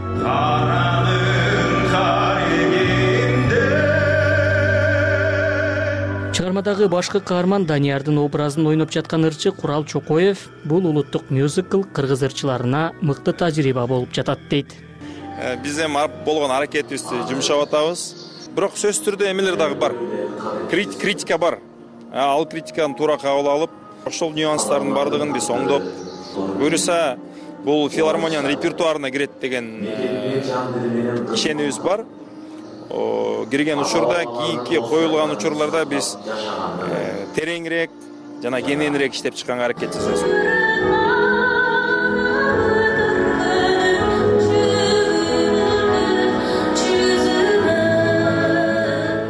Чыгармадагы башкы каарман Даниярдын образын ойноп жаткан ырчы Курал Чокоев бул улуттук мюзикл кыргыз ырчыларына мыкты тажрыйба болуп жатат дейт. Биз эми болгон аракетибизди жумшап атабыз. Бирок сөзсүз түрдө эмелер дагы бар. Критика бар. Ал критиканы туура кабыл алып, ошол нюанстардын бардыгын биз оңдоп, буюрса бул филармониянын репертуарына кирет деген ишенибиз бар. Кирген учурда, кийинки коюлган учурларда биз тереңирээк жана кененирээк иштеп чыкканга аракет жасайбыз.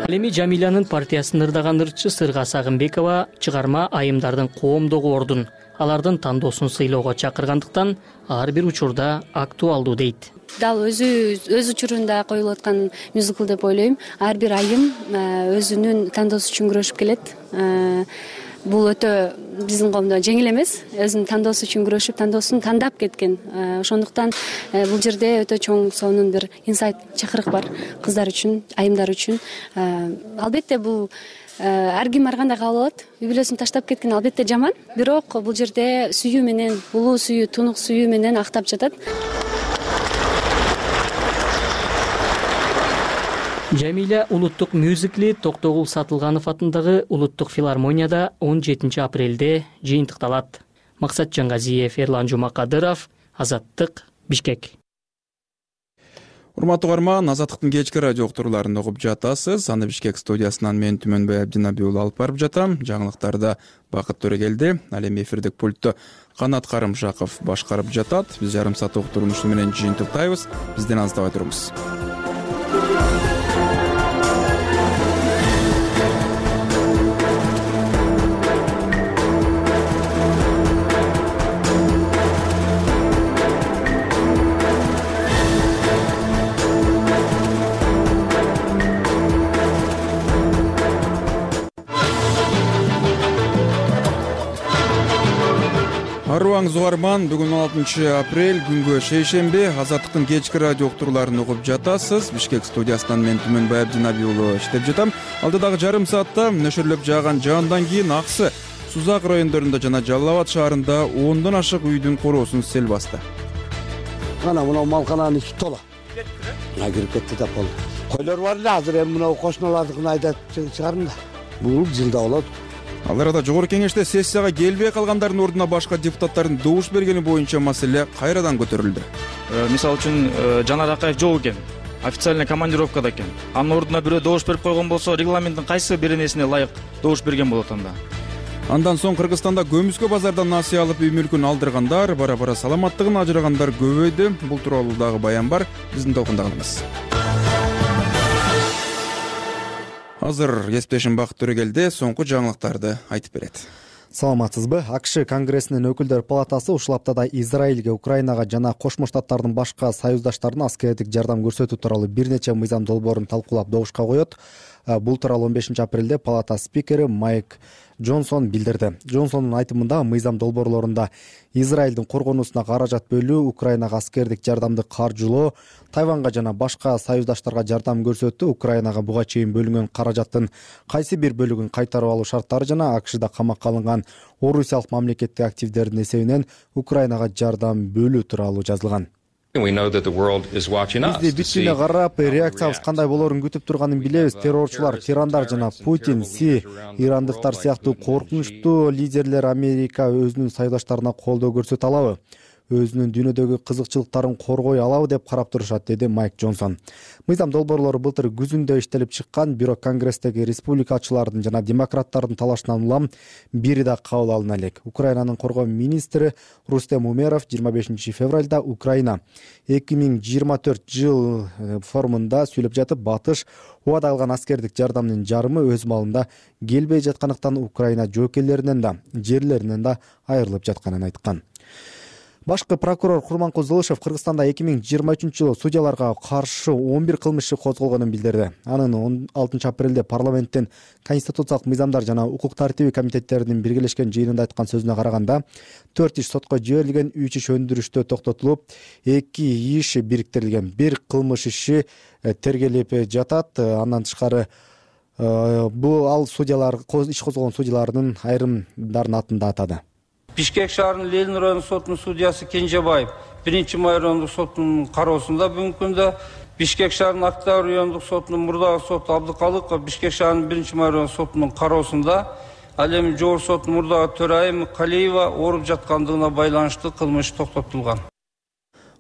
Ал эми Жамилянын партиясын ырдаган ырчы Сырга Сагынбекова чыгарма айымдардын коомдогу ордун, алардын тандоосун сыйлоого чакыргандыктан ар бир учурда актуалдуу дейт. Дал өз учурунда коюлуп аткан мюзикл деп ойлойм. Ар бир айым өзүнүн тандоосу үчүн күрөшүп келет. Бул өтө биздин коомдо жеңил эмес. Өзүнүн тандоосу үчүн күрөшүп, тандоосун тандап кеткен. Ошондуктан бул жерде өтө чоң сонун бир инсайт чакырык бар кыздар үчүн, айымдар үчүн. Албетте бул ар ким ар кандай кабыл алат. Үй бүлөсүн таштап кеткен албетте жаман, бирок бул жерде сүйүү менен, булуу сүйүү, тунук сүйүү менен актап жатат. Жамиля улуттук мюзикли Токтогул Сатылганов атындагы улуттук филармонияда 17 апрелде жыйынтыкталат. Максат Жаңгазиев, Эрлан Жумакадыров, Азаттык, Бишкек. Урматтуу угарман, Азаттыктын кечки радио уктурууларын угуп жатасыз. Аны Бишкек студиясынан мен Түмөнбай Абдинабий уулу алып барып жатам. Жаңылыктарда Бакыт Төрөгелди, ал эми эфирдик пультту Канат Карымшаков башкарып жатат. Биз жарым саат уктурууну ушуну менен жыйынтыктайбыз. Бизден алыстабай туруңуз. Арыбаңыз угарман, бүгүн 16 апрель күнгө шейшемби. Азаттыктын кечки радио уктурууларын угуп жатасыз. Бишкек студиясынан мен Түмөнбай Абдинабий уулу иштеп жатам. Алдыдагы жарым саатта нөшөрлөп жааган жаандан кийин Аксы, Сузак райондорунда жана Жалал Абад шаарында 10дон ашык үйдүн короосун сел басты. Мына малкананын ичи тола. Кирип кетти да болду. Койлор бар эле, азыр эми мына кошуналардыкын айдап чыгарым да. Бул жылда болот. Ал арада жогорку кеңеште сессияга келбей калгандардын ордуна башка депутаттардын добуш бергени боюнча маселе кайрадан көтөрүлдү. Мисалы үчүн Жанар Акаев жок экен, официальный командировкада экен. Анын ордуна бирөө добуш берип койгон болсо, регламенттин кайсы бир нерсине ылайык добуш берген болот анда. Андан соң Кыргызстанда көмүскө базардан насыя алып үй мүлкүн алдыргандар, бара-бара саламаттыгын ажырагандар көбөйдү. Бул тууралуу дагы баян бар. Биздин толкундагыңыз. Азыр кесиптешим Бакыт Төрөгелди соңку жаңылыктарды айтып берет. Саламатсызбы? АКШ Конгрессинин өкүлдөр палатасы ушул аптада Израилге, Украинага жана Кошмо Штаттардын башка союздаштарына аскердик жардам көрсөтүү тууралуу бир нече мыйзам долбоорун талкуулап добушка коет. Бул тууралуу 15 апрелде палата спикери Майк Джонсон билдирди. Джонсондун айтымында мыйзам долбоорлорунда Израилдин коргонуусуна каражат бөлүү, Украинага аскердик жардамды каржылоо, Тайванга жана башка союздаштарга жардам көрсөтүү, Украинага буга чейин бөлүнгөн каражаттын кайсы бир бөлүгүн кайтарып алуу шарттары жана АКШда камакка алынган орусиялык мамлекеттик активдердин эсебинен Украинага жардам бөлүү тууралуу жазылган. Бизди бүт дүйнө карап, реакциябыз кандай болоорун күтүп турганын билебиз. Террорчулар, тирандар жана Путин, ирандыктар сыяктуу коркунучтуу лидерлер Америка өзүнүн союздаштарына колдоо көрсөтө алабы? Өзүнүн дүйнөдөгү кызыкчылыктарын коргой алабы деп карап турушат, деди Майк Джонсон. Мыйзам долбоорлору былтыр күзүндө иштелип чыккан, бирок Конгресстеги республикачылардын жана демократтардын талашынан улам бири да кабыл алына элек. Украинанын коргоо министри Рустем Умеров 25 февралда Украина 2024 жыл форумунда сүйлөп жатып, батыш убада алган аскердик жардамдын жарымы өз маалында келбей жаткандыктан Украина жоокейлеринен да, жерлеринен да айрылып жатканын айткан. Башкы прокурор Курманкул Зылышев Кыргызстанда 2023 жылы судьяларга каршы 11 кылмыш иши козголгонун билдирди. Анын 16 апрелде парламенттин Конституциялык мыйзамдар жана укук тартиби комитеттеринин биргелешкен жыйынында айткан сөзүнө караганда, 4 иш сотко жиберилген, 3 иш өндүрүштө токтотулуп, 2 иш бириктирилген, 1 кылмыш иши тергелип жатат. Андан тышкары бул судьялар, иш козголгон судьялардын айрымдарын атында атады. Бишкек шаарынын Ленин райондук сотунун судьясы Кенжебаев 1-май райондук сотунун кароосунда бүгүнкү күндө, Бишкек шаарынын Октябрь райондук сотунун мурдагы соту Абдыкалыков Бишкек шаарынын 1-май райондук сотунун кароосунда, ал эми жогорку соттун мурдагы төрайымы Калиева ооруп жаткандыгына байланыштуу кылмыш токтотулган.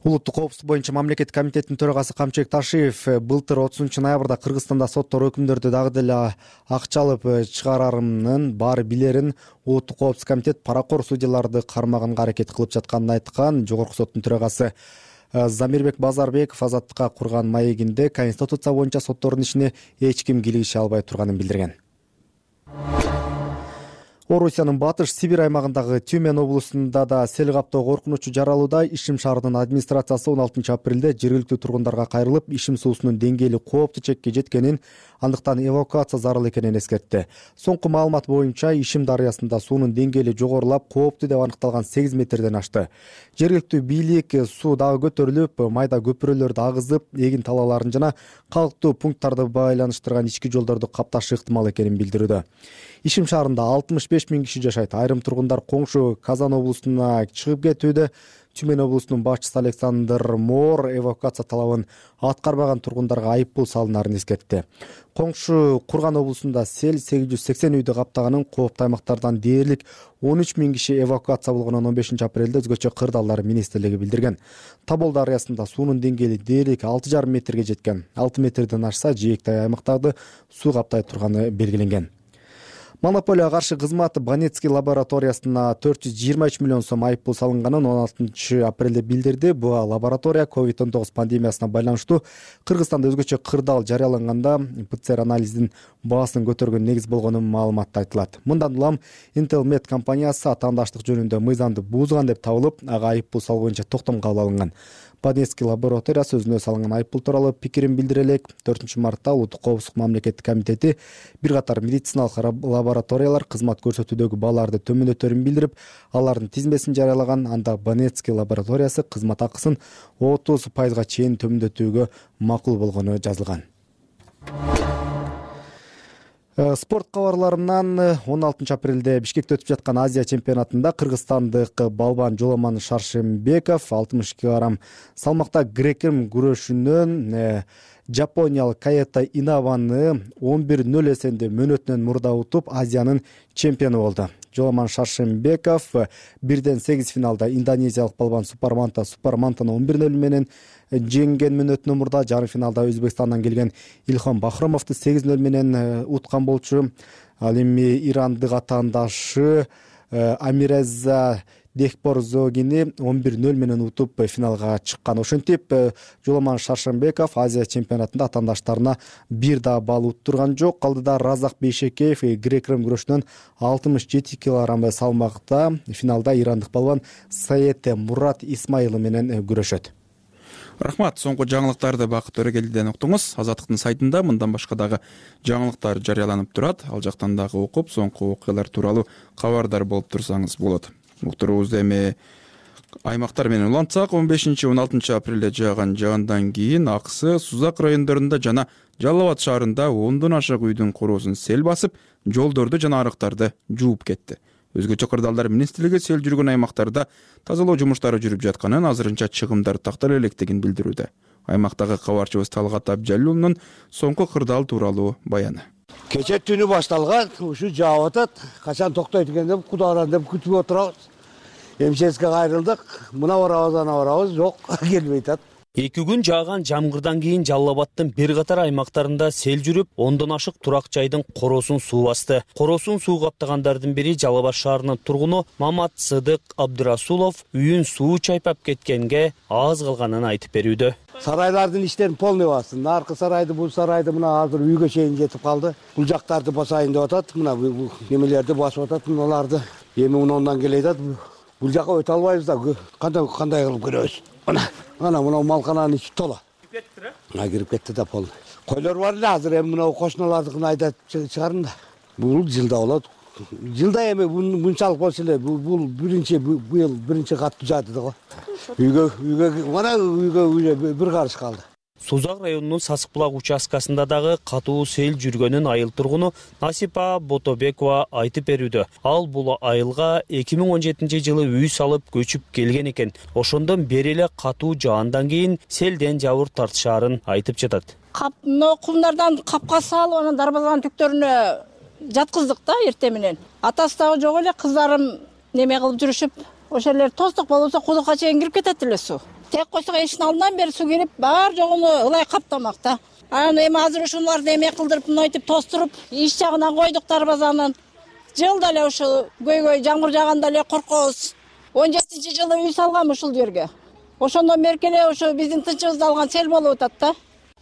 Улуттук коопсуздук боюнча мамлекеттик комитеттин төрагасы Камчыбек Ташиев былтыр 30 ноябрда Кыргызстанда соттор өкүмдөрдү дагы деле акчалып чыгарарынын баары билерин Улуттук коопсуздук комитет паракор судьяларды кармаганга аракет кылып жатканын айткан. Жогорку соттун төрагасы Замирбек Базарбеков Азаттыкка курган маегинде Конституция боюнча соттордун ишине эч ким кийлигише албай турганын билдирген. Орусиянын батыш Сибирь аймагындагы Тюмень облусунда да сел каптоо коркунучу жаралууда. Ишим шаарынын администрациясы 16 апрелде жергиликтүү тургундарга кайрылып, ишим суусунун деңгээли кооптуу чекке жеткенин, андыктан эвакуация зарыл экенин эскертти. Соңку маалымат боюнча Ишим дарыясында суунун деңгээли жогорулап, кооптуу деп аныкталган 8 метрден ашты. Жергиликтүү бийлик суу дагы көтөрүлүп, майда көпүрөлөрдү агызып, эгин талааларын жана калктуу пункттарды байланыштырган ички жолдорду капташы ыктымал экенин билдирүүдө. Ишим шаарында 65 000 киши жашайт. Айрым тургундар коңшу Казан облусуна чыгып кетүүдө. Тюмень облусунун башчысы Александр Моор эвакуация талабын аткарбаган тургундарга айыппул салынарын эскертти. Коңшу Курган облусунда сел 880 үйдү каптаганын, кооптуу аймактардан дээрлик 13 000 киши эвакуация болгонун 15 апрелде өзгөчө кырдаалдар министрлиги билдирген. Тобол дарыясында суунун деңгээли дээрлик 6,5 метрге жеткен. 6 метрден ашса, жээктай аймактарды суу каптай турганы белгиленген. Монополияга каршы кызмат Банецкий лабораториясына 423 миллион сом айыппул салынганын 16 апрелде билдирди. Бул лаборатория COVID-19 пандемиясына байланыштуу Кыргызстанда өзгөчө кырдаал жарыяланганда ПЦР анализдин баасын көтөргөн негиз болгонун маалыматта айтылат. Мындан улам Intelmed компаниясы атаандаштык жөнүндө мыйзамды буузган деп табылып, ага айыппул салуу боюнча токтом кабыл алынган. Банецкий лабораториясы өзүнө салынган айыппул тууралуу пикирин билдире элек. 4 мартта Улуттук коопсуздук мамлекеттик комитети бир катар медициналык лабораториялар кызмат көрсөтүүдөгү бааларды төмөндөтөрүн билдирип, алардын тизмесин жарыялаган. Анда Банецкий лабораториясы кызмат акысын 30% чейин төмөндөтүүгө макул болгону жазылган. Спорт кабарларынан 16 апрелде Бишкекте өтүп жаткан Азия чемпионатында кыргызстандык балбан Жоламан Шаршембеков 60 кг салмакта грек-рим күрөшүнөн Жапониялык Каэта Инаваны 11-0 эсенде мөөнөтүнөн мурда утуп, Азиянын чемпиону болду. Жоламан Шаршембеков 1-8 финалда индонезиялык балбан Супармантаны 11-0 менен жеңген мөөнөтүнөн мурда. Жарым финалда Өзбекстандан келген Илхам Бахромовду 8-0 менен уткан болчу. Ал эми ирандык атаандашы Амиреза Дехпорзогини 11-0 менен утуп финалга чыккан. Ошентип Жоламан Шаршембеков Азия чемпионатында атаандаштарына бир да балл уттурган жок. Калдыда Разак Бейшекеев грек-рим күрөшүнөн 67 кг салмакта финалда ирандык балбан Саете Мурат Исмаилы менен күрөшөт. Рахмат. Соңку жаңылыктарды Бакыт Өрөгелдиден уктуңуз. Азаттыктын сайтында мындан башка дагы жаңылыктар жарыяланып турат. Ал жактан дагы окуп, соңку окуялар тууралуу кабардар болуп турсаңыз болот. Уктуруубузду эми аймактар менен улантсак, 15-16 апрелде жааган жагандан кийин Аксы, Сузак райондорунда жана Жалал Абад шаарында 10дон ашык үйдүн короосун сел басып, жолдорду жана арыктарды жууп кетти. Өзгөчө кырдаалдар министрлиги сел жүргөн аймактарда тазалоо жумуштары жүрүп жатканын, азырынча чыгымдар тактала электигин билдирүүдө. Аймактагы кабарчыбыз Талгат Абжалуулунун соңку кырдаал тууралуу баяны. Кече түнү башталган, ушу жаап атат. Качан токтойт экен деп, Кудайдан деп күтүп отурабыз. МЧСке кайрылдык. Мына барабыз, ана барабыз, жок, келбей атат. 2 күн жааган жамгырдан кийин Жалал Абадтын бир катар аймактарында сел жүрүп, 10дон ашык турак жайдын короосун суу басты. Короосун суу каптагандардын бири Жалал Абад шаарынын тургуну Мамат Сыдык Абдырасулов үйүн суу чайпап кеткенге аз калганын айтып берүүдө. Сарайлардын иштерин полный басты. Наркы сарайды, бул сарайды мына азыр үйгө чейин жетип калды. Бул жактарды басайын деп атат. Мына бул немелерди басып атат, мыналарды. Эми мындан келет атат. Бул жака өтө албайбыз да, кандай кылып көрөбүз. Ана мына малкананын ичи тола. Кирип кетти? Кирип кетти да полный. Койлор бар эле, азыр эми мына кошуналардыкын айдап чыгарын да. Бул жылда болот. Жылда эми мынчалык болчу эле, бул быйыл биринчи катты жаады да го. Үйгө бир карыш калды. Сузак районунун Сасык булак участкасында дагы катуу сел жүргөнүн айыл тургуну Насипа Ботобекова айтып берүүдө. Ал бул айылга 2017 жылы үй салып көчүп келген экен. Ошондон бери эле катуу жаандан кийин селден жабыр тартышаарын айтып жатат. Кумдардан капка салып, анан дарбазанын түктөрүнө жаткыздык да эртең менен. Атасы дагы жок эле, кыздарым неме кылып жүрүшүп, ошолор тостук болсо кудукка чейин кирип кетет эле суу. Тек койсок эшиктин алдынан бери суу кирип, бар жогуну ылай каптамак да. Анан эми азыр ушуларды эме кылдырып, мынтип тостуруп, иш жагынан койдук дарбазанын. Жылда эле ушул көйгөй жамгыр жааганда эле коркобуз. 17-жылы үй салгам ушул жерге. Ошондон бери эле ушу биздин тынчыбызды алган сел болуп атат да.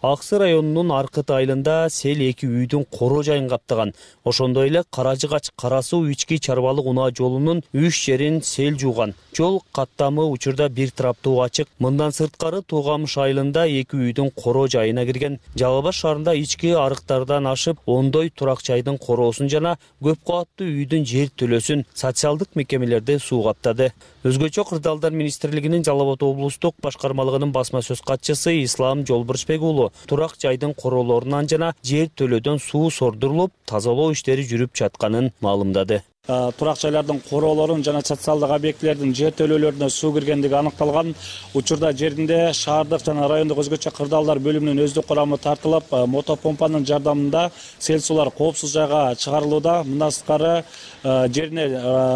Аксы районунун Аркыт айылында сел 2 үйдүн коро жайын каптаган. Ошондой эле Каражыгач Карасуу ички чарбалык унаа жолунун 3 жерин сел жууган. Жол каттамы учурда бир тараптуу ачык. Мындан сырткары Туугамыш айылында 2 үйдүн коро жайына кирген. Жалал Абад шаарында ички арыктардан ашып, ондой турак жайдын короосун жана көп кабаттуу үйдүн жер төлөсүн социалдык мекемелерде суу каптады. Өзгөчө кырдаалдар министрлигинин Жалал Абад облустук башкармалыгынын басма сөз катчысы Ислам Жолбурчбек уулу турак жайдын короолорунан жана жер төлөөдөн суу сордурулуп, тазалоо иштери жүрүп жатканын маалымдады. Турак жайлардын короолорун жана социалдык объектилердин жер төлөөлөрүнө суу киргендиги аныкталган. Учурда жеринде шаардык жана райондук өзгөчө кырдаалдар бөлүмүнүн өздүк курамы тартылып, мотопомпанын жардамында сел суулар коопсуз жайга чыгарылууда. Мындан сырткары жерине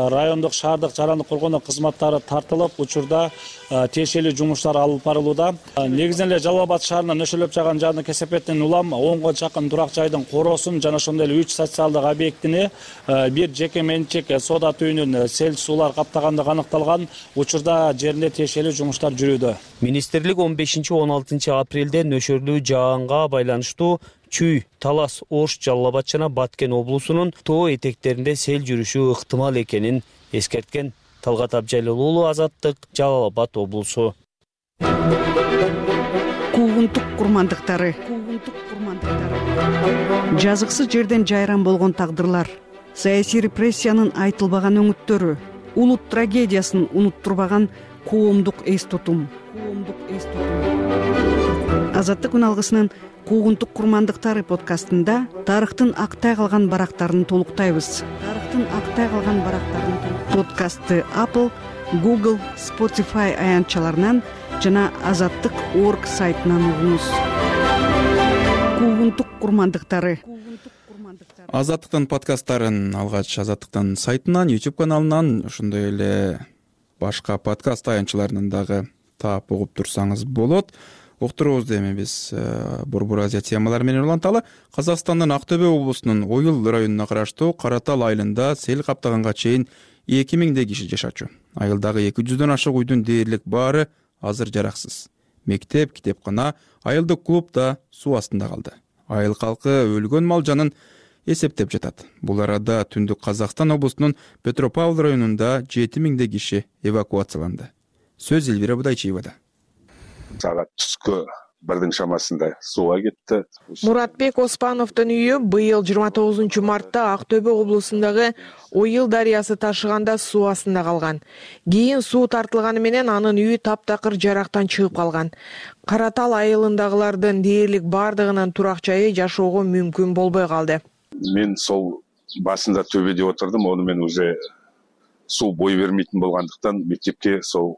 райондук, шаардык жарандык коргонуу кызматтары тартылып, учурда тиешелүү жумуштар алып барылууда. Негизинен эле Жалал Абад шаарынын нөшөлөп жааган жааны кесепеттен улам 10го жакын турак жайдын короосун жана ошондой эле 3 социалдык объектини бир жеке менчик соода түйүнүн сел суулар каптагандыгы аныкталган. Учурда жеринде тиешелүү жумуштар жүрүүдө. Министрлик 15-16 апрелде нөшөрлүү жаанга байланыштуу Чүй, Талас, Ош, Жалал Абад жана Баткен облусунун тоо этектеринде сел жүрүшү ыктымал экенин эскерткен. Талгат Абжалыл уулу, Азаттык, Жалал Абад облусу. Куугунтук курмандыктары. Жазыксыз жерден жайран болгон тагдырлар, саясий репрессиянын айтылбаган өңүттөрү, улут трагедиясын унуттурбаган коомдук эс тутум. Азаттык үн алгысынын Куугунтук курмандыктары подкастында тарыхтын актай калган барактарын толуктайбыз. Подкастты Apple, Google, Spotify аянтчаларынан жана azattyk.org сайтынан угуңуз. Куугунтук курмандыктары. Азаттыктын подкасттарын алгач Азаттыктын сайтынан, YouTube каналынан, ошондой эле башка подкаст аянтчаларынан дагы таап угуп турсаңыз болот. Уктуруубузду эми биз Борбор Азия темалары менен уланталы. Казакстандын Ак-Төбө облусунун Ойыл районуна караштуу Каратал айылында сел каптаганга чейин 2000 киши жашачу. Айылдагы 200дөн ашык үйдүн дээрлик баары азыр жараксыз. Мектеп, китепкана, айылдык клуб да суу астында калды. Айыл калкы өлгөн мал жанын эсептеп жатат. Бул арада Түндүк Казакстан облусунун Петропавл районунда 7000 киши эвакуацияланды. Сөз Элвира Будайчиевада. Саат түскө 1 шамасында сууга кетти. Муратбек Оспановдун үйү быйыл 29 мартта Ак-Төбө облусундагы Ойыл дарыясы ташыганда суу астында калган. Кийин суу тартылганы менен анын үйү таптакыр жарактан чыгып калган. Каратал айылындагылардын дээрлик бардыгынын турак жайы жашоого мүмкүн болбой калды. Мен сол басында төбөдө отурдум, ону мен уже суу бой бермейтин болгондуктан мектепке сол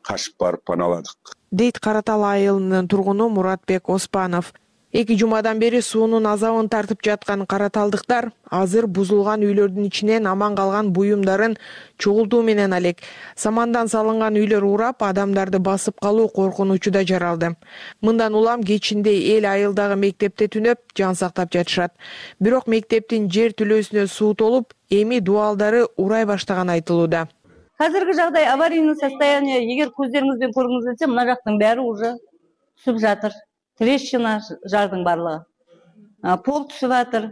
кашып барып паналадык. Дейт Каратал айылынын тургуну Муратбек Оспанов. 2 жумадан бери суунун азабын тартып жаткан караталдыктар азыр бузулган үйлөрдүн ичинен аман калган буюмдарын чогултуу менен алек. Самандан салынган үйлөр урап, адамдарды басып калуу коркунучу да жаралды. Мындан улам кечинде эл айылдагы мектепте түнөп, жан сактап жатышат. Бирок мектептин жер түлөөсүнө суу толуп, эми дубалдары урай баштаганы айтылууда. Қазіргі жағдай аварийный состояние, егер көздеріңізбен көргіңіз келсе, мына жақтың бәрі уже түсіп жатыр. Трещина жардың барлығы. Пол түсіп жатыр.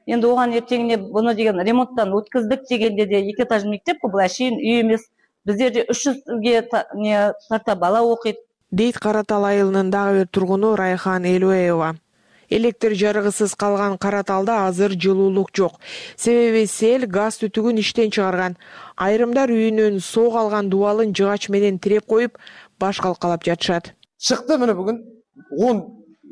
Енді оған ертеңіне бұны деген ремонттан өткіздік дегенде де 2 этаж мектеп қой, бұл әшейін үй емес. Біздерде 300-ге тарта бала оқиды. Дейт Каратал айылынын дагы бир тургуну Райхан Элуеева. Электр жарыгысыз калган Караталда азыр жылуулук жок. Себеби сел газ түтүгүн иштен чыгарган. Айрымдар үйүнүн соо калган дубалын жыгач менен тиреп коюп, баш калкалап жатышат. Чыкты мына бүгүн 10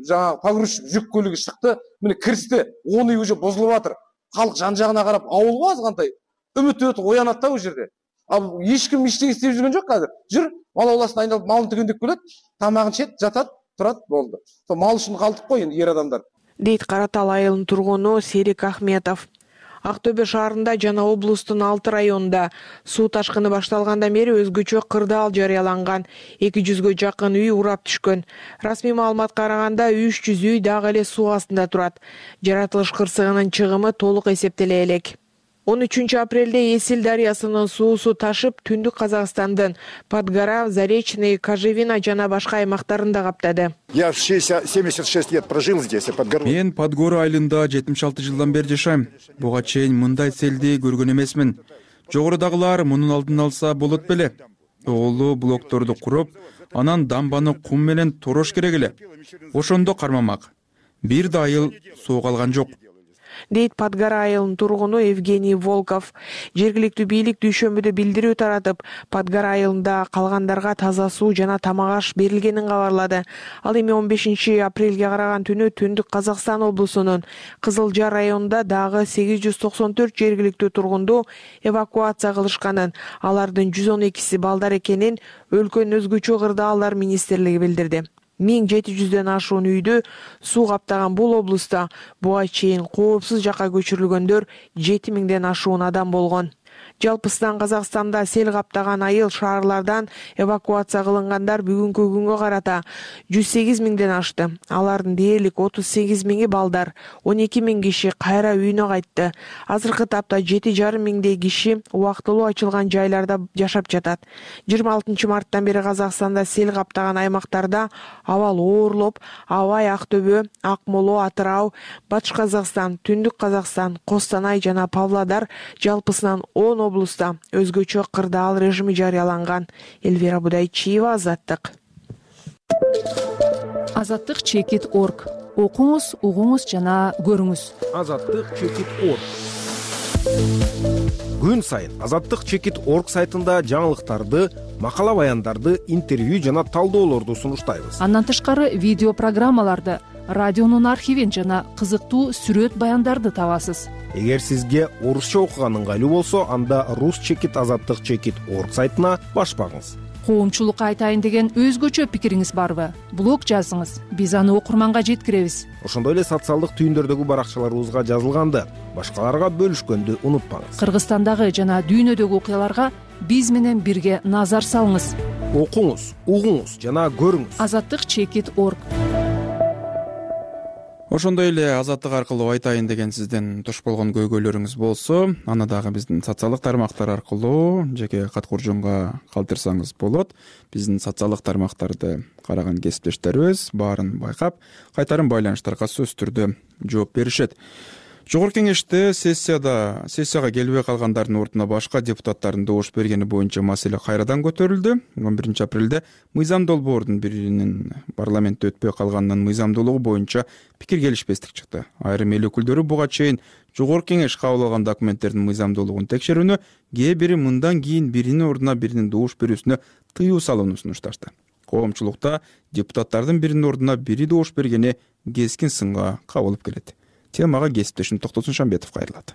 жаңа погрузчик жүк көлүгү чыкты. Мына кирсти, 10 үй уже бузулуп атыр. Калк жан-жагына карап ауылга азгандай үмүт оянат да бул жерде. Ал эч ким иштеге истеп жүргөн жок азыр. Жүр, мал ауласына айналып малын түгөндөп келет, тамагын чет, жатат. Турат болду. Мал үчүн калдык кой энд ер адамдар. Дейт Каратал айылынын тургуну Серик Ахметов. Ак-Төбө шаарында жана облустун 6 районунда суу ташкыны башталгандан бери өзгөчө кырдаал жарыяланган. 200гө жакын үй урап түшкөн. Расмий маалыматка караганда 300 үй дагы эле суу астында турат. Жаратылыш кырсыгынын чыгымы толук эсептеле элек. 13 апрелде Эсил дарыясынын суусу ташып, Түндүк Казакстандын Подгора, Заречный, Кожевина жана башка аймактарында каптады. Я 76 лет прожил здесь, Мен Подгора айылында 76 жылдан бери жашайм. Буга чейин мындай селди көргөн эмесмин. Жогорудагылар мунун алдын алса болот беле. Оолу блокторду куруп, анан дамбаны кум менен торош керек эле. Ошондо кармамак. Бир да айыл суу калган жок. Дейт Подгора айылынын тургуну Евгений Волков. Жергиликтүү бийлик дүйшөмбүдө билдирүү таратып, Подгора айылында калгандарга таза суу жана тамак аш берилгенин кабарлады. Ал эми 15 апрелге караган түнү Түндүк Казакстан облусунун Кызыл Жар районунда дагы 894 жергиликтүү тургунду эвакуация кылышканын, алардын 112си балдар экенин өлкөнүн өзгөчө кырдаалдар министрлиги билдирди. 1700дөн ашуун үйдү суу каптаган бул облуста буга чейин коопсуз жакка көчүрүлгөндөр 7000ден ашуун адам болгон. Жалпысынан Казакстанда сел каптаган айыл шаарлардан эвакуация кылынгандар бүгүнкү күнгө карата 108 миңден ашты. Алардын дээрлик 38 миңи балдар, 12 миң киши кайра үйүнө кайтты. Азыркы тапта 7,5 миңдей киши убактылуу ачылган жайларда жашап жатат. 26 марттан бери Казакстанда сел каптаган аймактарда абал оорлоп, Абай, Ак-Төбө, Акмоло, Атырау, Батыш Казакстан, Түндүк Казакстан, Костанай жана Павлодар жалпысынан 10 облуста өзгөчө кырдаал режими жарыяланган. Элвира Будайчиева, Азаттык. Азаттык chekit.org. Окуңуз, угуңуз жана көрүңүз. Азаттык chekit.org. Күн сайын Азаттык chekit.org сайтында жаңылыктарды, макала баяндарды, интервью жана талдоолорду сунуштайбыз. Андан тышкары видео программаларды, радионун архивин жана кызыктуу сүрөт баяндарды табасыз. Эгер сизге орусча окуган ыңгайлуу болсо, анда рус chekit Азаттык chekit.org сайтына баш багыңыз. Коомчулукка айтайын деген өзгөчө пикириңиз барбы? Блог жазыңыз, биз аны окурманга жеткиребиз. Ошондой эле социалдык түйүндөрдөгү баракчаларыбызга жазылганды башкаларга бөлүшкөндү унутпаңыз. Кыргызстандагы жана дүйнөдөгү окуяларга биз менен бирге назар салыңыз. Окуңуз, угуңуз жана көрүңүз. Азаттык chekit.org. Ошондой эле азаттык аркылуу айтайын деген сиздин туш болгон көйгөйлөрүңүз болсо, аны дагы биздин социалдык тармактар аркылуу жеке кат куржунга калтырсаңыз болот. Биздин социалдык тармактарды караган кесиптештерибиз баарын байкап, кайтарым байланыштарга сөзсүз түрдө жооп беришет. Жогорку кеңеште сессияга келбей калгандардын ордуна башка депутаттардын добуш бергени боюнча маселе кайрадан көтөрүлдү. 11 апрелде мыйзам долбоордун биринин парламентте өтпөй калганынын мыйзамдуулугу боюнча пикир келишпестик чыкты. Айрым эл өкүлдөрү буга чейин жогорку кеңеш кабыл алган документтердин мыйзамдуулугун текшерүүнү, кээ бири мындан кийин биринин ордуна биринин добуш берүүсүнө тыюу салууну сунушташты. Коомчулукта депутаттардын биринин ордуна бири добуш бергени кескин сынга кабылып келет. Темага кесиптешим Токтосун Шамбетов кайрылат.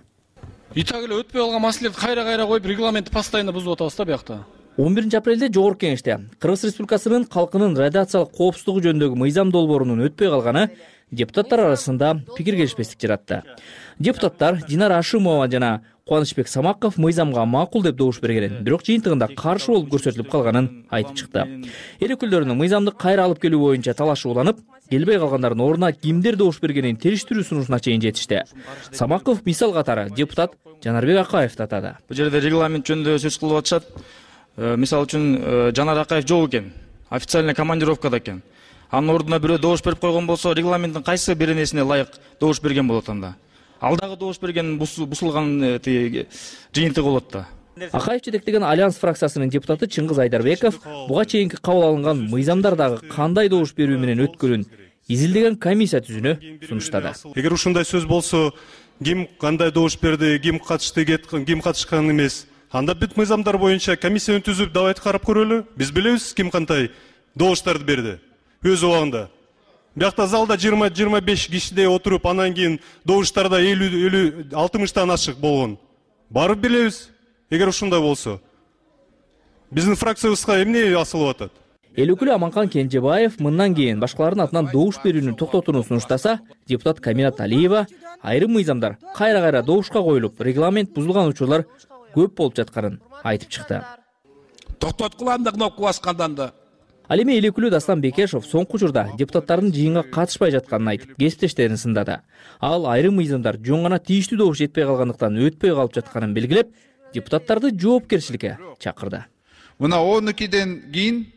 Итак эле өтпөй калган маселелерди кайра коюп, регламентти постоянно бузуп атабыз да биякта. 11 апрелде жогорку кеңеште Кыргыз Республикасынын калкынын радиациялык коопсуздугу жөнүндөгү мыйзам долбоорунун өтпөй калганы депутаттар арасында пикир келишпестик жаратты. Депутаттар Динара Ашимова жана Кубанычбек Самаков мыйзамга макул деп добуш бергенин, бирок жыйынтыгында каршы болуп көрсөтүлүп калганын айтып чыкты. Эл өкүлдөрүнүн мыйзамды кайра алып келүү боюнча талашы уланып, келбей калгандардын ордуна кимдер добуш бергенин териштирүү сунушуна чейин жетишти. Самаков мисал катары депутат Жанарбек Акаевди атады. Бул жерде регламент жөнүндө сөз кылып атышат. Мисалы үчүн Жанар Акаев жок экен, официальный командировкада экен. Анын ордуна бирөө добуш берип койгон болсо, регламенттин кайсы бир нерсине ылайык добуш берген болот анда. Ал дагы добуш берген бусулган жыйынтыгы болот да. Акаев жетектеген Альянс фракциясынын депутаты Чыңгыз Айдарбеков буга чейинки кабыл алынган мыйзамдар дагы кандай добуш берүү менен өткөнүн изилдеген комиссия түзүүнү сунуштады. Эгер ушундай сөз болсо, ким кандай добуш берди, ким катышты, ким катышкан эмес, анда бүт мыйзамдар боюнча комиссияны түзүп давайте карап көрөлү. Биз билебиз ким кандай добуштарды берди өз убагында. Биякта залда 20-25 кишидей отуруп, анан кийин добуштарда 50-60тан ашык болгон. Барып билебиз. Эгер ушундай болсо, биздин фракциябызга эмне асылып атат? Эл өкүлү Аманкан Кенжебаев мындан кийин башкалардын атынан добуш берүүнү токтотууну сунуштаса, депутат Каминат Алиева айрым мыйзамдар кайра добушка коюлуп, регламент бузулган учурлар көп болуп жатканын айтып чыкты. Токтоткула анда кнопка баскандан да. Ал эми эл өкүлү Дастан Бекешов соңку учурда депутаттардын жыйынга катышпай жатканын айтып, кесиптештерин сындады. Ал айрым мыйзамдар жөн гана тийиштүү добуш жетпей калгандыктан өтпөй калып жатканын белгилеп, депутаттарды жоопкерчиликке чакырды. Мына 12ден кийин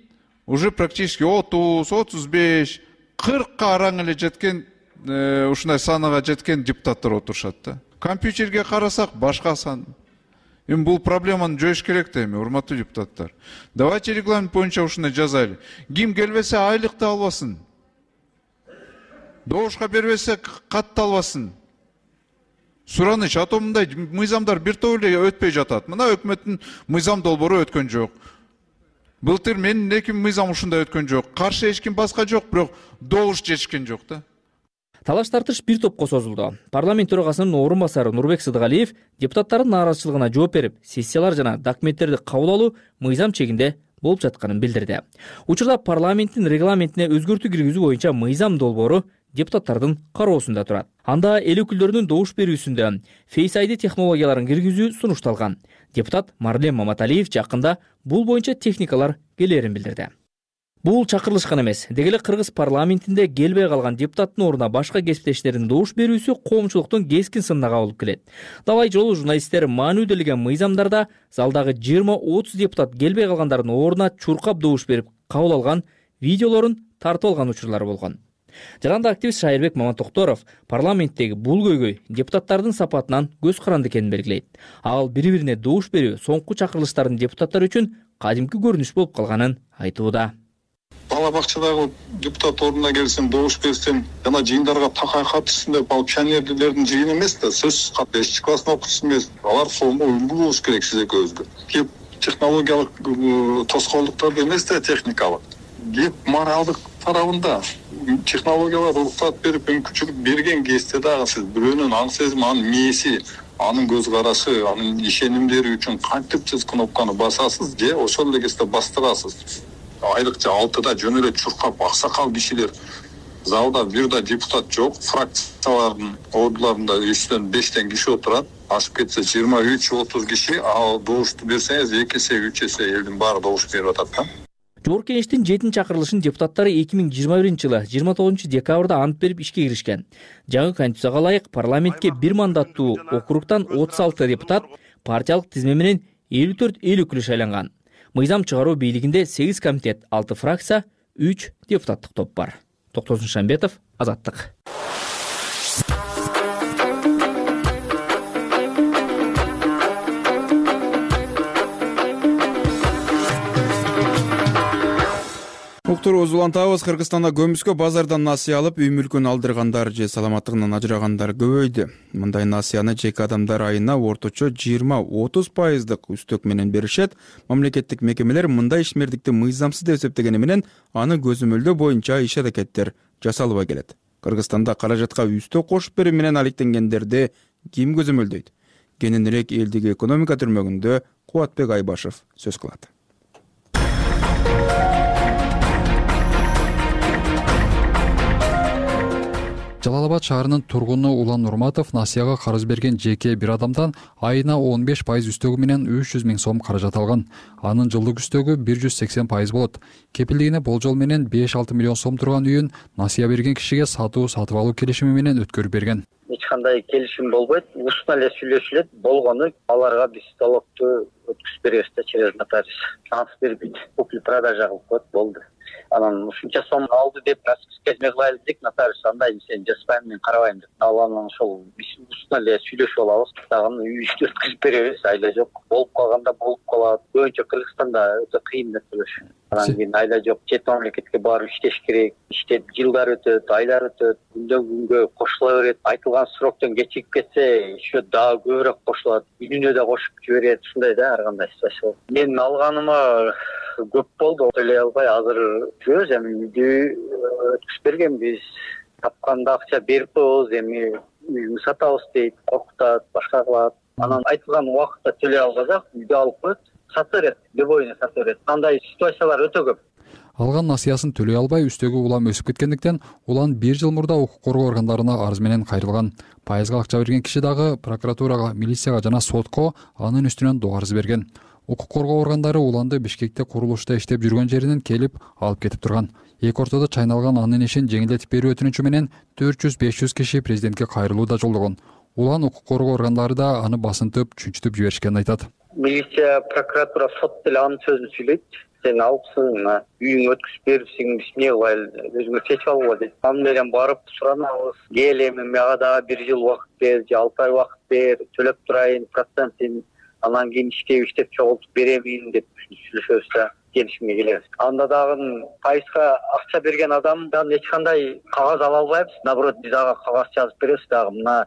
уже практически 30, 35, 40ка араң эле жеткен, ушундай санага жеткен депутаттар отурушат да. Компьютерге карасак башка сан. Эми бул проблеманы жоюш керек да эми, урматтуу депутаттар. Давайте регламент боюнча ушундай жазайлы. Ким келбесе айлыкты албасын. Добушка бербесе катты албасын. Сураныч, а то мындай мыйзамдар бир топ эле өтпөй жатат. Мына өкмөттүн мыйзам долбоору өткөн жок. Былтыр менин 2 мыйзам ушундай өткөн жок. Каршы эч ким баска жок, бирок добуш жетишкен жок да. Талаш тартыш бир топко созулду. Парламент төрагасынын орун басары Нурбек Сыдыгалиев депутаттардын нааразычылыгына жооп берип, сессиялар жана документтерди кабыл алуу мыйзам чегинде болуп жатканын билдирди. Учурда парламенттин регламентине өзгөртүү киргизүү боюнча мыйзам долбоору депутаттардын кароосунда турат. Анда эл өкүлдөрүнүн добуш берүүсүндө Face ID технологияларын киргизүү сунушталган. Депутат Марлен Маматалиев жакында бул боюнча техникалар келерин билдирди. Бул чакырылышкан эмес. Дегеле Кыргыз парламентинде келбей калган депутаттын ордуна башка кесиптештердин добуш берүүсү коомчулуктун кескин сынына кабылып келет. Далай жолу журналисттер маанилүүлөгөн мыйзамдарда залдагы 20-30 депутат келбей калгандардын ордуна чуркап добуш берип кабыл алган видеолорун тартып алган учурлар болгон. Жаранда активист Шайырбек Маматокторов парламенттеги бул көйгөй депутаттардын сапатынан көз каранды экенин белгилейт. Ал бири-бирине добуш берүү соңку чакырылыштардын депутаттар үчүн кадимки көрүнүш болуп калганын айтууда. Бала бакчадагы депутат ордуна келсем, добуш берсем, жана жыйындарга такай катышсын деп алып пионерлердин жыйыны эмес да, сөзсүз кат 5 класстын окуучусу эмес. Алар сомго үлгү болуш керек сиз экөөбүзгө. Кеп технологиялык тоскоолдуктарды эмес да, техникалык. Кеп моралдык тарабында технологиялар уруксат берип мүмкүнчүлүк берген кезде дагы сиз бирөөнүн аң сезими, анын мээси, анын көз карашы, анын ишенимдери үчүн кантип сиз кнопканы басасыз же ошол эле кезде бастырасыз. Айрыкча 6-да жөн эле чуркап аксакал кишилер залда бир да депутат жок, фракциялардын ордуларында 3-төн 5 киши отурат, ашып кетсе 23-30 киши, ал добушту берсеңиз 2 эсе 3 эсе элдин баары добуш берип атат да. Жогорку Кеңештин 7-чакырылышын депутаттары 2021-жылы 29-декабрда ант берип ишке киришкен. Жаңы конституцияга ылайык парламентке бир мандаттуу округтан 36 депутат, партиялык тизме менен 54 эл өкүлү шайланган. Мыйзам чыгаруу бийлигинде 8 комитет, 6 фракция, 3 депутаттык топ бар. Токтосун Шамбетов, Азаттык. Уктурубузду улантабыз. Кыргызстанда көмүскө базардан насыя алып, үй мүлкүн алдыргандар же саламаттыгынан ажырагандар көбөйдү. Мындай насыяны жеке адамдар айына орточо 20-30% үстөк менен беришет. Мамлекеттик мекемелер мындай ишмердикти мыйзамсыз деп эсептегени менен аны көзөмөлдөө боюнча иш-аракеттер жасалбай келет. Кыргызстанда каражатка үстөк кошуп берүү менен алектенгендерди ким көзөмөлдөйт? Кененирээк элдиги экономика түрмөгүндө Кубатбек Айбашев сөз кылат. Жалал Абад шаарынын тургуну Улан Нурматов насыяга карыз берген жеке бир адамдан айына 15% үстөгү менен 300 000 сом каражат алган. Анын жылдык үстөгү 180% болот. Кепилдигине болжол менен 5-6 миллион сом турган үйүн насыя берген кишиге сатып алуу келишими менен өткөрүп берген. Эч кандай келишим болбойт. Ушуна эле сүйлөшүлөт. Болгону аларга биз залогду өткүзүп беребиз да через нотариус. Анс бербейт. Купли-продажа кылып коет, болду. Анан ушунча сом алды деп расписка кылайлы дедик, нотариус андай сен жаспайм, мен карабайм деп. Анан ошол биз ушуна эле сүйлөшүп алабыз. Дагы үйдү өткүзүп беребиз, айла жок. Болуп калганда болуп калат. Көбүнчө Кыргызстанда өтө кыйын нерселер. Анан кийин айла жок, чет мамлекетке барып иштеш керек. Иштеп жылдар өтөт, айлар өтөт, күндөн күнгө кошула берет. Айтылган сроктон кечигип кетсе, еще дагы көбүрөөк кошулат. Үйүнө да кошуп жиберет. Ушундай да ар кандай ситуация. Мен алганыма көп болду, төлөй албай азыр жүрөбүз, эми үйдү өткүзүп бергенбиз. Тапканда акча берип коебуз, эми үйүңдү сатабыз дейт, коркутат, башка кылат. Анан айтылган убакытта төлөй албасак, үйдү алып коет, сатып берет, любойуна сатып берет. Андай ситуациялар өтө көп. Алган насыясын төлөй албай, үстөгү улам өсүп кеткендиктен, улан 1 жыл мурда укук коргоо органдарына арыз менен кайрылган. Пайызга акча берген киши дагы прокуратурага, милицияга жана сотко анын үстүнөн доо арыз берген. Укук коргоо органдары уланды Бишкекте курулушта иштеп жүргөн жеринен келип алып кетип турган. Эки ортодо чайналган анын ишин жеңилдетип берүү өтүнүчү менен 400-500 киши президентке кайрылуу да жолдогон. Улан укук коргоо органдары да аны басынтып, чүнчүтүп жиберишкенин айтат. Милиция, прокуратура, сот деле анын сөзүн сүйлөйт. Сен алыпсың, үйүңө өткүзүп берипсиң, биз эмне кылайлы, өзүңө чечип алгыла дейт. Аны менен барып суранабыз. Кел эми мага дагы 1 жыл убакыт бер, же 6 ай убакыт бер, төлөп турайын, процентин, анан кийин иштеп чогултуп беремин деп сүйлөшөбүз да келишимге келебиз. Анда дагы пайызга акча берген адамдан эч кандай кагаз ала албайбыз. Наоборот, биз ага кагаз жазып беребиз дагы. Мына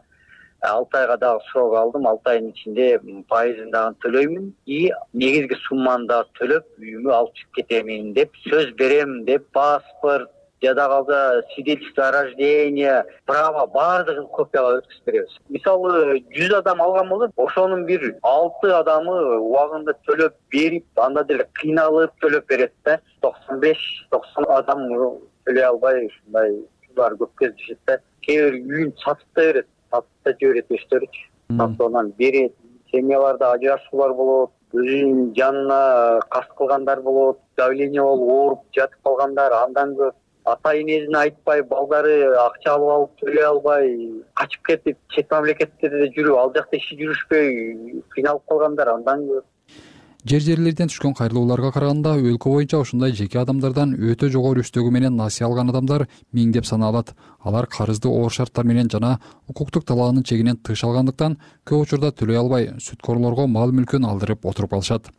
6 айга дагы срок алдым, 6 айдын ичинде пайызын дагы төлөймүн и негизги сумманы дагы төлөп үйүмө алып чыгып кетемин деп сөз берем деп паспорт, жада калса свидетельство о рождении, право баардыгын копияга өткүзүп беребиз. Мисалы 100 адам алган болсо, ошонун бир 6 адамы убагында төлөп берип, анда деле кыйналып төлөп берет да. 95-90 адам төлөй албай ушундай ушулар көп кездешет да. Кээ бир үйүн сатып да берет, сатып да жиберет өздөрүчү. Сатып берет. Семьяларда ажырашуулар болот, өзүнүн жанына каст кылгандар болот, давление болуп ооруп жатып калгандар, андан көп ата-энесине айтпай, балдары акча алып төлөй албай, качып кетип, чет мамлекеттерде жүрүп, ал жакта иши жүрүшпөй, кыйналып калгандар андан көп. жерлерден түшкөн кайрылууларга караганда өлкө боюнча ушундай жеке адамдардан өтө жогору үстөгү менен насыя алган адамдар миңдеп саналат. Алар карызды оор шарттар менен жана укуктук талаанын чегинен тыш алгандыктан көп учурда төлөй албай сүткорлорго мал мүлкүн алдырып отуруп калышат.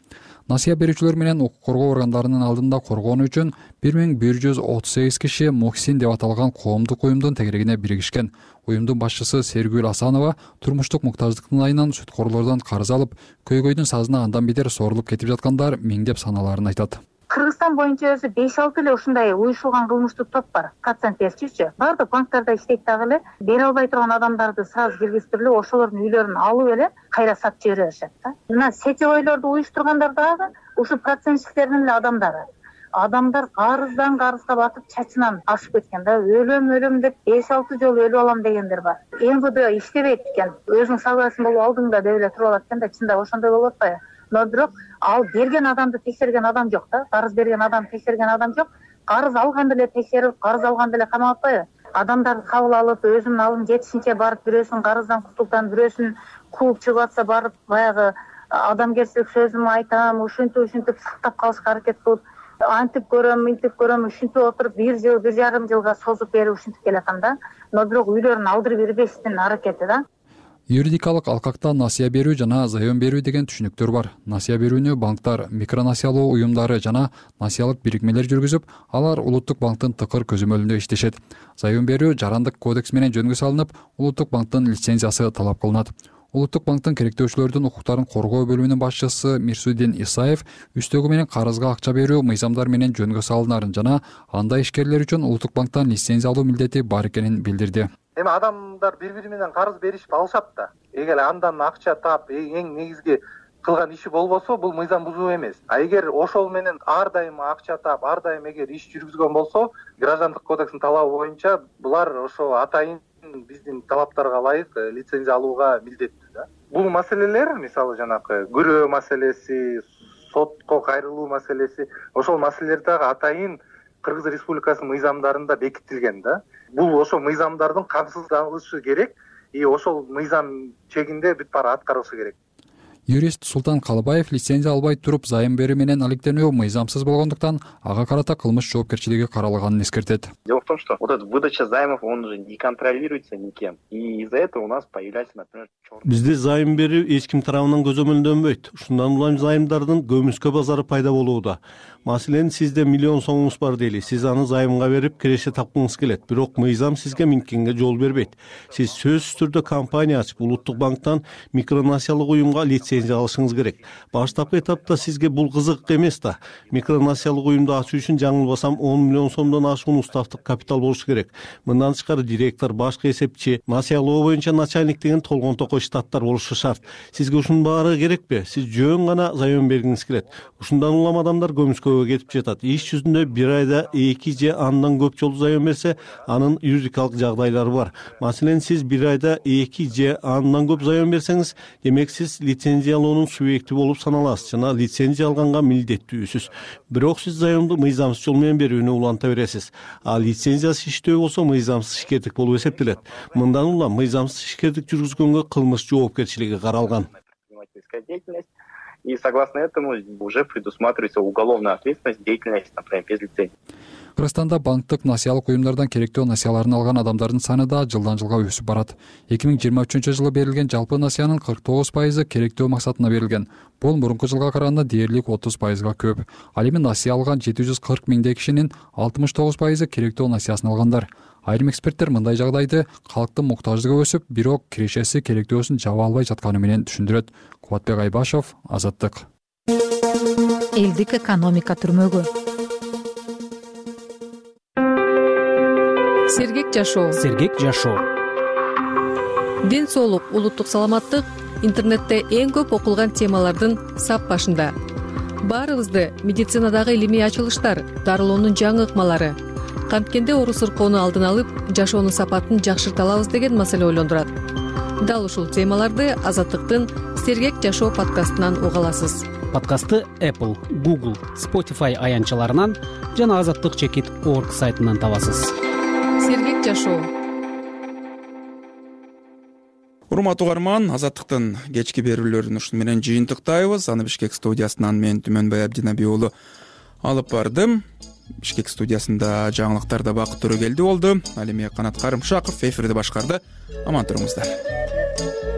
Насыя берүүчүлөр менен укук коргоо органдарынын алдында коргоону үчүн 1138 киши Мухсин деп аталган коомдук уюмдун тегерегине биригишкен. Уюмдун башчысы Сергүл Асанова турмуштук муктаждыктын айынан сүткорлордон карыз алып, көйгөйдүн сазына андан бетер сорулуп кетип жаткандар миңдеп саналарын айтат. Кыргызстан боюнча өзү 5-6 эле ушундай уюшулган кылмыштык топ бар. Процент берчүчү. Баардык банктарда иштейт дагы эле. Бере албай турган адамдарды сразу киргизтирип, ошолордун үйлөрүн алып эле кайра сатып жибере беришет да. Мына сечевойлорду уюштургандар дагы ушу процентчиктердин эле адамдары. Адамдар карыздан карызга батып чачынан ашып кеткен да. Өлөм деп 5-6 жолу өлүп алам дегендер бар. МВД иштебейт экен. Өзүнүн согласиясын болуп алдыңда деп эле туруп алат экен да. Чында ошондой болуп атпайбы? Но бирок ал берген адамды текшерген адам жок да. Карыз берген адам текшерген адам жок. Карыз алган деле текшерип, карыз алган деле камап атпайбы? Адамдарды кабыл алып, өзүнүн алым жетишинче барып, бирөөсүн карыздан кутултан, бирөөсүн кууп чыгып атса барып, баягы адамгерчилик сөзүм айтам, ушинтип сактап калышка аракет кылып, антип көрөм, ушинтип отуруп 1 жыл, 1,5 жылга созуп берип ушинтип келаткан да. Но бирок үйлөрүн алдырып бербештин аракети да. Юридикалык алкакта насыя берүү жана заем берүү деген түшүнүктөр бар. Насыя берүүнү банктар, микронасыялоо уюмдары жана насыялык бирикмелер жүргүзүп, алар улуттук банктын тыкыр көзөмөлүндө иштешет. Заем берүү жарандык кодекс менен жөнгө салынып, улуттук банктын лицензиясы талап кылынат. Улуттук банктын керектөөчүлөрдүн укуктарын коргоо бөлүмүнүн башчысы Мирсудин Исаев үстөгү менен карызга акча берүү мыйзамдар менен жөнгө салынарын жана андай ишкерлер үчүн улуттук банктан лицензия алуу милдети бар экенин билдирди. Эми адамдар бири-бири менен карыз беришип алышат да. Эгер андан акча таап, эң негизги кылган иши болбосо, бул мыйзам бузуу эмес. А эгер ошол менен ар дайым акча таап, ар дайым эгер иш жүргүзгөн болсо, граждандык кодекстин талабы боюнча булар ошо атайын биздин талаптарга ылайык лицензия алууга милдеттүү да. Бул маселелер, мисалы жанакы күрөө маселеси, сотко кайрылуу маселеси, ошол маселелер дагы атайын Кыргыз Республикасынын мыйзамдарында бекитилген да. Бул ошо мыйзамдардын камсыздалышы керек, ошол мыйзам чегинде бүт баары аткарылышы керек. Юрист Султан Калыбаев лицензия албай туруп заем берүү менен алектенүү мыйзамсыз болгондуктан ага карата кылмыш жоопкерчилиги каралганын эскертет. Дело в том, что вот эта выдача займов, он уже не контролируется никем. И из-за этого у нас появляется, например, Бизде зайым берүү эч ким тарабынан көзөмөлдөнбөйт. Ушундан улам займдардын көмүскө базары пайда болууда. Маселен, сизде миллион сомуңуз бар дейли. Сиз аны займга берип киреше тапкыңыз келет. Бирок мыйзам сизге минткенге жол бербейт. Сиз сөзсүз түрдө компания ачып, улуттук банктан микронасыялык уюмга лицензия алышыңыз керек. Баштапкы этапта сизге бул кызык эмес да. Микронасыялык уюмду ачуу үчүн жаңылбасам 10 миллион сомдон ашуун уставдык капитал болушу керек. Мындан тышкары директор, башкы эсепчи, насыялоо боюнча начальник деген толгон токой штаттар болушу шарт. Сизге ушунун баары керекпи? Сиз жөн гана заем бергиңиз келет. Ушундан улам адамдар көмүскөгө кетип жатат. Иш жүзүндө бир айда 2 же андан көп жолу заем берсе, анын юридикалык жагдайлары бар. Маселен, сиз бир айда 2 же андан көп заем берсеңиз, демек сиз лицензиялоонун субъекти болуп саналасыз жана лицензия алганга милдеттүүсүз. Бирок сиз заемду мыйзамсыз жол менен берүүнү уланта бересиз. А лицензиясыз иштөө болсо мыйзамсыз ишкердик болуп эсептелет. Мындан улам мыйзамсыз ишкердик жүргүзгөнгө кылмыш жоопкерчилиги каралган. И согласно этому уже предусматривается уголовная ответственность, деятельность, например, без лицензии. Кыргызстанда банктык насыялык уюмдардан керектөө насыяларын алган адамдардын саны да жылдан жылга өсүп барат. 2023-жылы берилген жалпы насыянын 49% керектөө максатына берилген. Бул мурунку жылга караганда дээрлик 30%га көп. Ал эми насыя алган 740 миңдей кишинин 69% керектөө насыясын алгандар. Айрым эксперттер мындай жагдайды калктын муктаждыгы өсүп, бирок кирешеси керектөөсүн жаба албай жатканы менен түшүндүрөт. Кубатбек Айбашов, Азаттык. Элдик экономика түрмөгү. Сергек жашоо. Сергек жашоо. Ден соолук, улуттук саламаттык интернетте эң көп окулган темалардын сап башында. Баарыбызды медицинадагы илимий ачылыштар, дарылоонун жаңы ыкмалары, канткенде оору сыркоону алдын алып, жашоонун сапатын жакшырта алабыз деген маселе ойлондурат. Дал ушул темаларды Азаттыктын Сергек жашоо подкастынан уга аласыз. Подкастты Apple, Google, Spotify аянтчаларынан жана azattik.org сайтынан табасыз. Сергек жашоо. Урматтуу угарман, Азаттыктын кечки берүүлөрүн ушуну менен жыйынтыктайбыз. Аны Бишкек студиясынан мен Түмөнбай Абдинаби уулу алып бардым. Бишкек студиясында жаңылыктарда Бакыт Төрөгелди болду. Ал эми Канат Карымшаков эфирди башкарды. Аман туруңуздар.